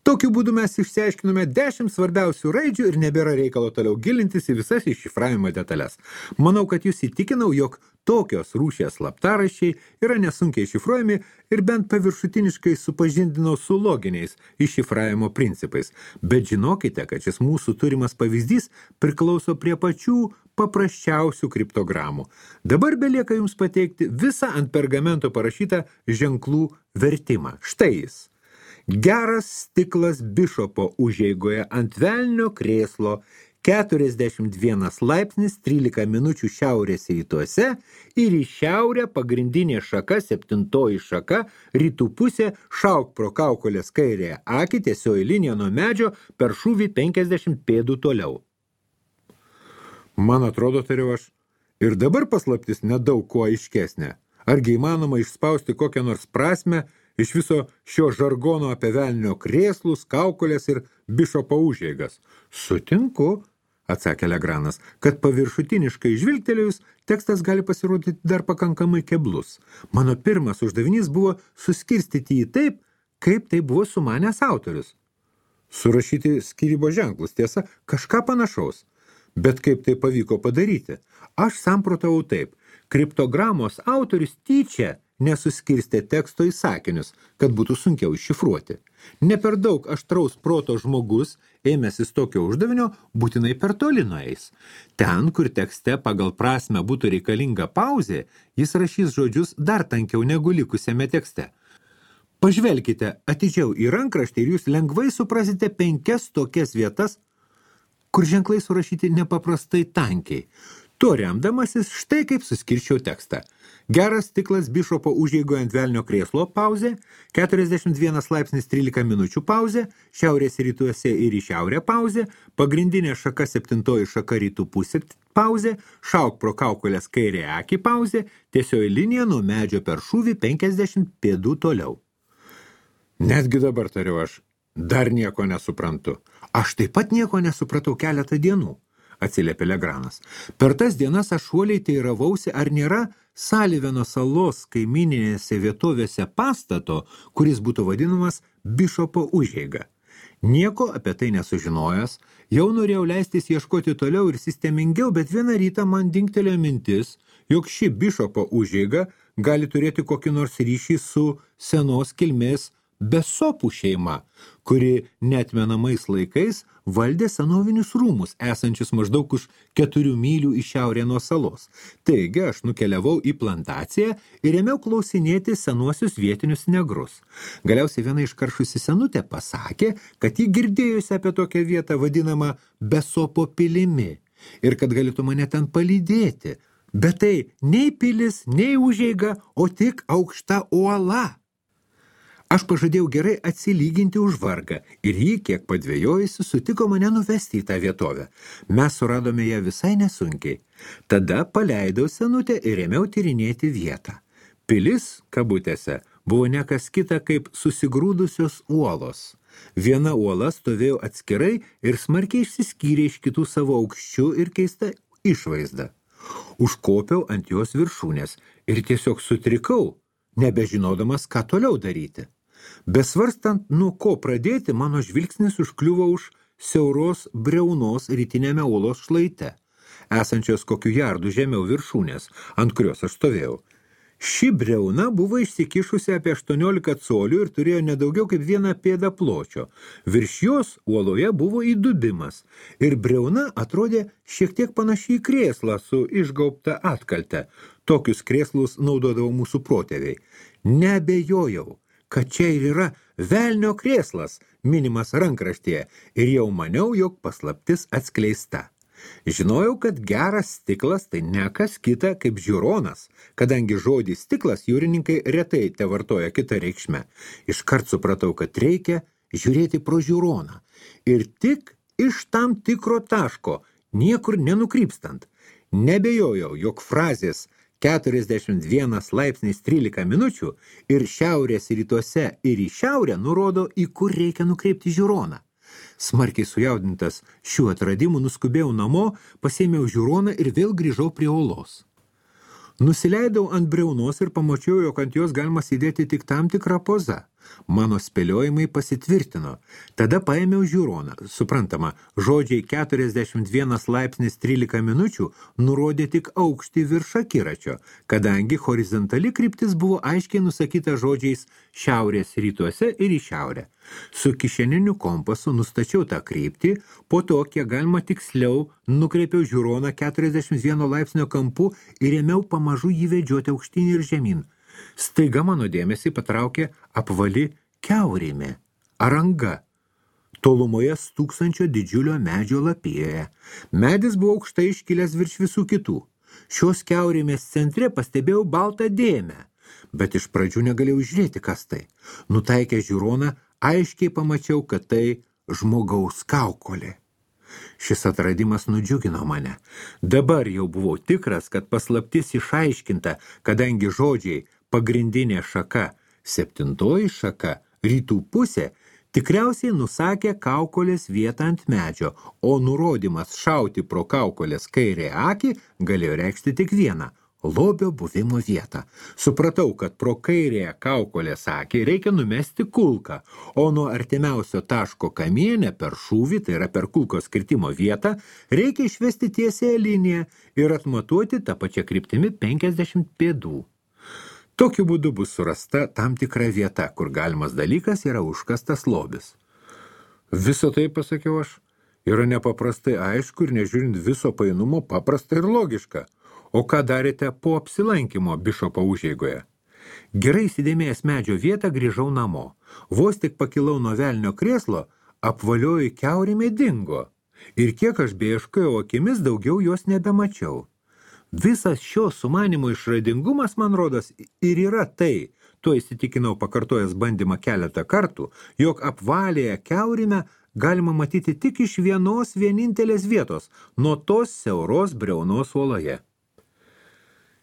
Tokiu būdu mes išsiaiškinome 10 svarbiausių raidžių ir nebėra reikalo toliau gilintis į visas iššifravimo detalės. Manau, kad jūs įtikinau, jog tokios rūšies slaptaraščiai yra nesunkiai šifruojami ir bent paviršutiniškai supažindinau su loginiais iššifravimo principais. Bet žinokite, kad šis mūsų turimas pavyzdys priklauso prie pačių paprasčiausių kriptogramų. Dabar belieka jums pateikti visą ant pergamento parašytą ženklų vertimą. Štai jis. Geras stiklas bišopo užeigoje ant velnio krėslo 41 laipsnis 13 minučių šiaurės rytuose ir į šiaurę pagrindinė šaka, 7 šaka, rytų pusė, šauk pro kaukolės kairėje akį, tiesioji linija nuo medžio per šūvį 50 pėdų toliau. Man atrodo, tariau aš, ir dabar paslaptis nedaug kuo aiškesnė. Argi įmanoma išspausti kokią nors prasmę iš viso šio žargono apie velnio krėslus, kaukolės ir bišopo užeigas? Sutinku, atsakė Legranas, kad paviršutiniškai žvilgtelėjus tekstas gali pasirodyti dar pakankamai keblus. Mano pirmas uždavinys buvo suskirstyti jį taip, kaip tai buvo sumanęs autorius. Surašyti skyrybos ženklus, tiesa, kažką panašaus. Bet kaip tai pavyko padaryti? Aš samprotavau taip. Kriptogramos autorius tyčia nesuskirstė teksto į sakinius, kad būtų sunkiau iššifruoti. Ne per daug aštraus proto žmogus, ėmęsis tokio uždavinio, būtinai per toli nueis. Ten, kur tekste pagal prasmę būtų reikalinga pauzė, jis rašys žodžius dar tankiau negu likusiame tekste. Pažvelkite atidžiau į rankraštį ir jūs lengvai suprasite 5 tokias vietas, kur ženklai surašyti nepaprastai tankiai. Tuo remdamasis štai kaip suskirčiau tekstą. Geras stiklas bišopo užeigoje ant velnio krėslo pauzė, 41 laipsnis 13 minučių pauzė, šiaurės rytuose ir į šiaurę pauzė, pagrindinė šaka 7 šaka rytų pusė pauzė, šauk pro kaukolės kairė akį pauzė, tiesioji linija nuo medžio per šūvį 50 pėdų toliau. Netgi dabar, tariu aš, dar nieko nesuprantu. Aš taip pat nieko nesupratau keletą dienų, atsiliepė Legranas. Per tas dienas aš uoliai teiravausi, ar nėra Saliveno salos kaimininėse vietovėse pastato, kuris būtų vadinamas bišopo užeiga. Nieko apie tai nesužinojęs, jau norėjau leistis ieškoti toliau ir sistemingiau, bet vieną rytą man dingtelėjo mintis, jog ši bišopo užeiga gali turėti kokį nors ryšį su senos kilmės Besopų šeima, kuri neatmenamais laikais valdė senovinius rūmus, esančius maždaug už 4 mylių į šiaurę nuo salos. Taigi aš nukeliavau į plantaciją ir ėmiau klausinėti senuosius vietinius negrus. Galiausiai viena iškaršusi senutė pasakė, kad ji girdėjusi apie tokią vietą vadinamą Besopo pilimi ir kad galėtų mane ten palydėti. Bet tai nei pilis, nei užeiga, o tik aukšta uola. Aš pažadėjau gerai atsilyginti už vargą ir jį, kiek padvėjojusi, sutiko mane nuvesti į tą vietovę. Mes suradome ją visai nesunkiai. Tada paleidau senutę ir ėmiau tyrinėti vietą. Pilis, kabutėse, buvo nekas kita kaip susigrūdusios uolos. Viena uola stovėjo atskirai ir smarkiai išsiskyrė iš kitų savo aukščių ir keista išvaizda. Užkopiau ant jos viršūnės ir tiesiog sutrikau, nebežinodamas, ką toliau daryti. Besvarstant, nuo ko pradėti, mano žvilgsnis užkliuvo už siauros briaunos rytinėme uolos šlaite, esančios kokių jardų žemiau viršūnės, ant kurios aš stovėjau. Ši briauna buvo išsikišusi apie 18 colių ir turėjo nedaugiau kaip 1 pėdą pločio. Virš jos uoloje buvo įdubimas ir briauna atrodė šiek tiek panašiai į krėslą su išgaubta atkalte. Tokius krėslus naudodavo mūsų protėviai. Neabejojau, kad čia ir yra velnio krėslas, minimas rankraštyje, ir jau maniau, jog paslaptis atskleista. Žinojau, kad geras stiklas tai ne kas kita kaip žiūronas, kadangi žodį stiklas jūrininkai retai tevartoja kitą reikšmę. Iškart supratau, kad reikia žiūrėti pro žiūroną ir tik iš tam tikro taško, niekur nenukrypstant. Nebejojau, jog frazės 41 laipsnis 13 minučių ir šiaurės rytuose ir į šiaurę nurodo, į kur reikia nukreipti žiūroną. Smarkiai sujaudintas šių atradimų nuskubėjau namo, pasėmiau žiūroną ir vėl grįžau prie uolos. Nusileidau ant briaunos ir pamačiau, jog ant jos galima sėdėti tik tam tikrą pozą. Mano spėliojimai pasitvirtino. Tada paėmiau žiūroną. Suprantama, žodžiai 41 laipsnis 13 minučių nurodė tik aukštį virš akiračio, kadangi horizontali kryptis buvo aiškiai nusakyta žodžiais šiaurės rytuose ir į šiaurę. Su kišeniniu kompasu nustačiau tą kryptį, po to, kiek galima tiksliau, nukreipiau žiūroną 41 laipsnio kampu ir ėmiau pamažu jį vedžioti aukštyn ir žemyn. Staiga mano dėmesį patraukė apvali kiaurėmė, aranga, tolumoje stūksančio didžiulio medžio lapijoje. Medis buvo aukštai iškilęs virš visų kitų. Šios kiaurėmės centre pastebėjau baltą dėmę, bet iš pradžių negalėjau žiūrėti, kas tai. Nutaikę žiūroną, aiškiai pamačiau, kad tai žmogaus kaukolė. Šis atradimas nudžiugino mane. Dabar jau buvau tikras, kad paslaptis išaiškinta, kadangi žodžiai pagrindinė šaka, 7 šaka, rytų pusė, tikriausiai nusakė kaukolės vietą ant medžio, o nurodymas šauti pro kaukolės kairę akį galėjo reikšti tik vieną – lobio buvimo vietą. Supratau, kad pro kairėje kaukolės akį reikia numesti kulką, o nuo artimiausio taško kamiene per šūvį, tai yra per kulkos skirtimo vietą, reikia išvesti tiesiąją liniją ir atmatuoti tą pačią kryptimi 50 pėdų. Tokiu būdu bus surasta tam tikra vieta, kur galimas dalykas yra užkastas lobis. Viso tai, pasakiau aš, yra nepaprastai aišku ir nežiūrint viso painumo paprasta ir logiška. O ką darėte po apsilankymo bišopo užeigoje? Gerai įsidėmėjęs medžio vietą grįžau namo. Vos tik pakilau nuo velnio krėslo, apvalioji kiaurėmė dingo. Ir kiek aš beieškojau akimis, daugiau jos nebemačiau. Visas šio sumanimo išradingumas, man rodos, ir yra tai, tuo įsitikinau pakartojęs bandymą keletą kartų, jog apvalėje kiaurėmę galima matyti tik iš vienos vienintelės vietos, nuo tos siauros briaunos uoloje.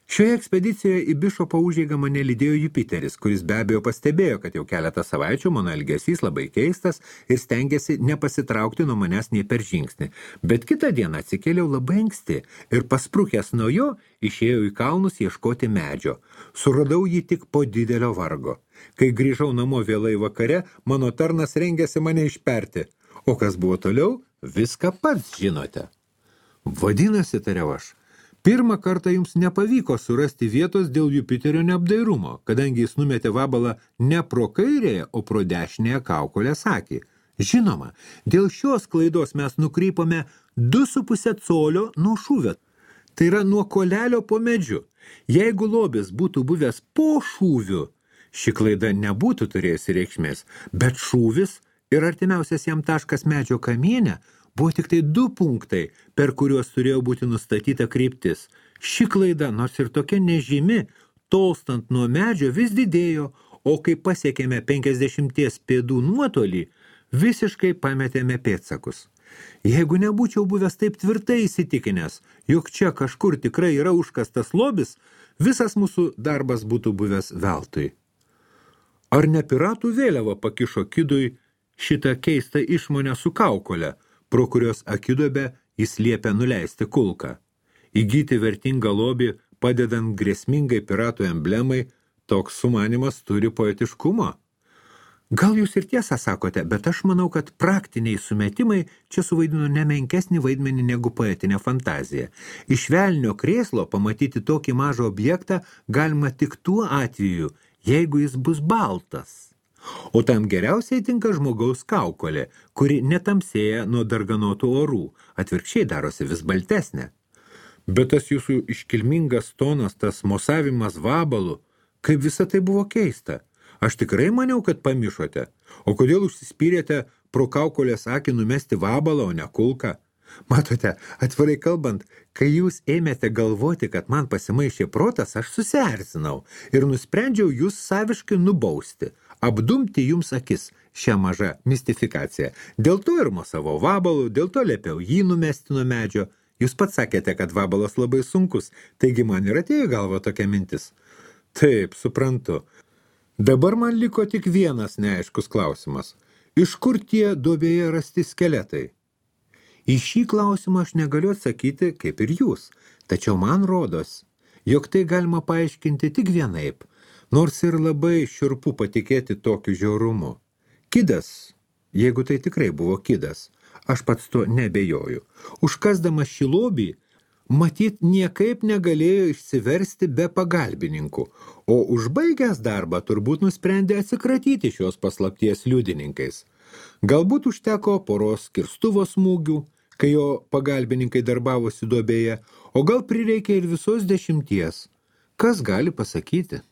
Šioje ekspedicijoje į bišopo užeigą mane lydėjo Jupiteris, kuris be abejo pastebėjo, kad jau keletą savaičių mano elgesys labai keistas ir stengėsi nepasitraukti nuo manęs nei per žingsnį. Bet kitą dieną atsikėliau labai anksti ir pasprukęs nuo jo išėjau į kalnus ieškoti medžio. Suradau jį tik po didelio vargo. Kai grįžau namo vėlai vakare, mano tarnas rengėsi mane išperti. O kas buvo toliau, viską pats žinote. Vadinasi, tariau aš, pirmą kartą jums nepavyko surasti vietos dėl Jupiterio neapdairumo, kadangi jis numetė vabalą ne pro kairėje, o pro dešinėje kaukolės akį. Žinoma, dėl šios klaidos mes nukrypome 2,5 colio nuo šūvio. Tai yra nuo kolelio po medžiu. Jeigu lobis būtų buvęs po šūviu, ši klaida nebūtų turėjusi reikšmės, bet šūvis ir artimiausias jam taškas medžio kamiene buvo tik tai 2 punktai, per kuriuos turėjo būti nustatyta kryptis. Ši klaida, nors ir tokia nežymi, tolstant nuo medžio vis didėjo, o kai pasiekėme 50 pėdų nuotolį, visiškai pametėme pėdsakus. Jeigu nebūčiau buvęs taip tvirtai įsitikinęs, jog čia kažkur tikrai yra užkastas lobis, visas mūsų darbas būtų buvęs veltui. Ar ne piratų vėliava pakišo Kidui šitą keistą išmonę su kaukole, pro kurios akidobę jis liepia nuleisti kulką? Įgyti vertingą lobį, padedant grėsmingai piratų emblemai, toks sumanymas turi poetiškumo. Gal jūs ir tiesą sakote, bet aš manau, kad praktiniai sumetimai čia suvaidino nemenkesnį vaidmenį negu poetinė fantazija. Iš velnio krėslo pamatyti tokį mažą objektą galima tik tuo atveju, jeigu jis bus baltas. O tam geriausiai tinka žmogaus kaukolė, kuri netamsėja nuo darganotų orų, atvirkščiai darosi vis baltesnė. Bet tas jūsų iškilmingas tonas, tas mosavimas vabalu, kaip visa tai buvo keista. Aš tikrai maniau, kad pamišote. O kodėl užsispyrėte pro kaukolės akį numesti vabalą, o ne kulką? Matote, atvirai kalbant, kai jūs ėmėte galvoti, kad man pasimaišė protas, aš susierzinau ir nusprendžiau jūs saviškai nubausti, apdumti jums akis šią mažą mistifikaciją. Dėl to ir mosavau vabalų, dėl to liepiau jį numesti nuo medžio. Jūs pats sakėte, kad vabalas labai sunkus, taigi man ir atėjo galva tokia mintis. Taip, suprantu. Dabar man liko tik vienas neaiškus klausimas. Iš kur tie duobėje rasti skeletai? Į šį klausimą aš negaliu atsakyti, kaip ir jūs, tačiau man rodos, jog tai galima paaiškinti tik vienaip. Nors ir labai šiurpu patikėti tokiu žiaurumu. Kidas, jeigu tai tikrai buvo kidas, aš pats to nebejoju, užkasdamas šį lobį, matyt, niekaip negalėjo išsiversti be pagalbininkų, o užbaigęs darbą turbūt nusprendė atsikratyti šios paslapties liudininkais. Galbūt užteko poros kirstuvo smūgių, kai jo pagalbininkai darbavosi duobėje, o gal prireikė ir visos 10. Kas gali pasakyti?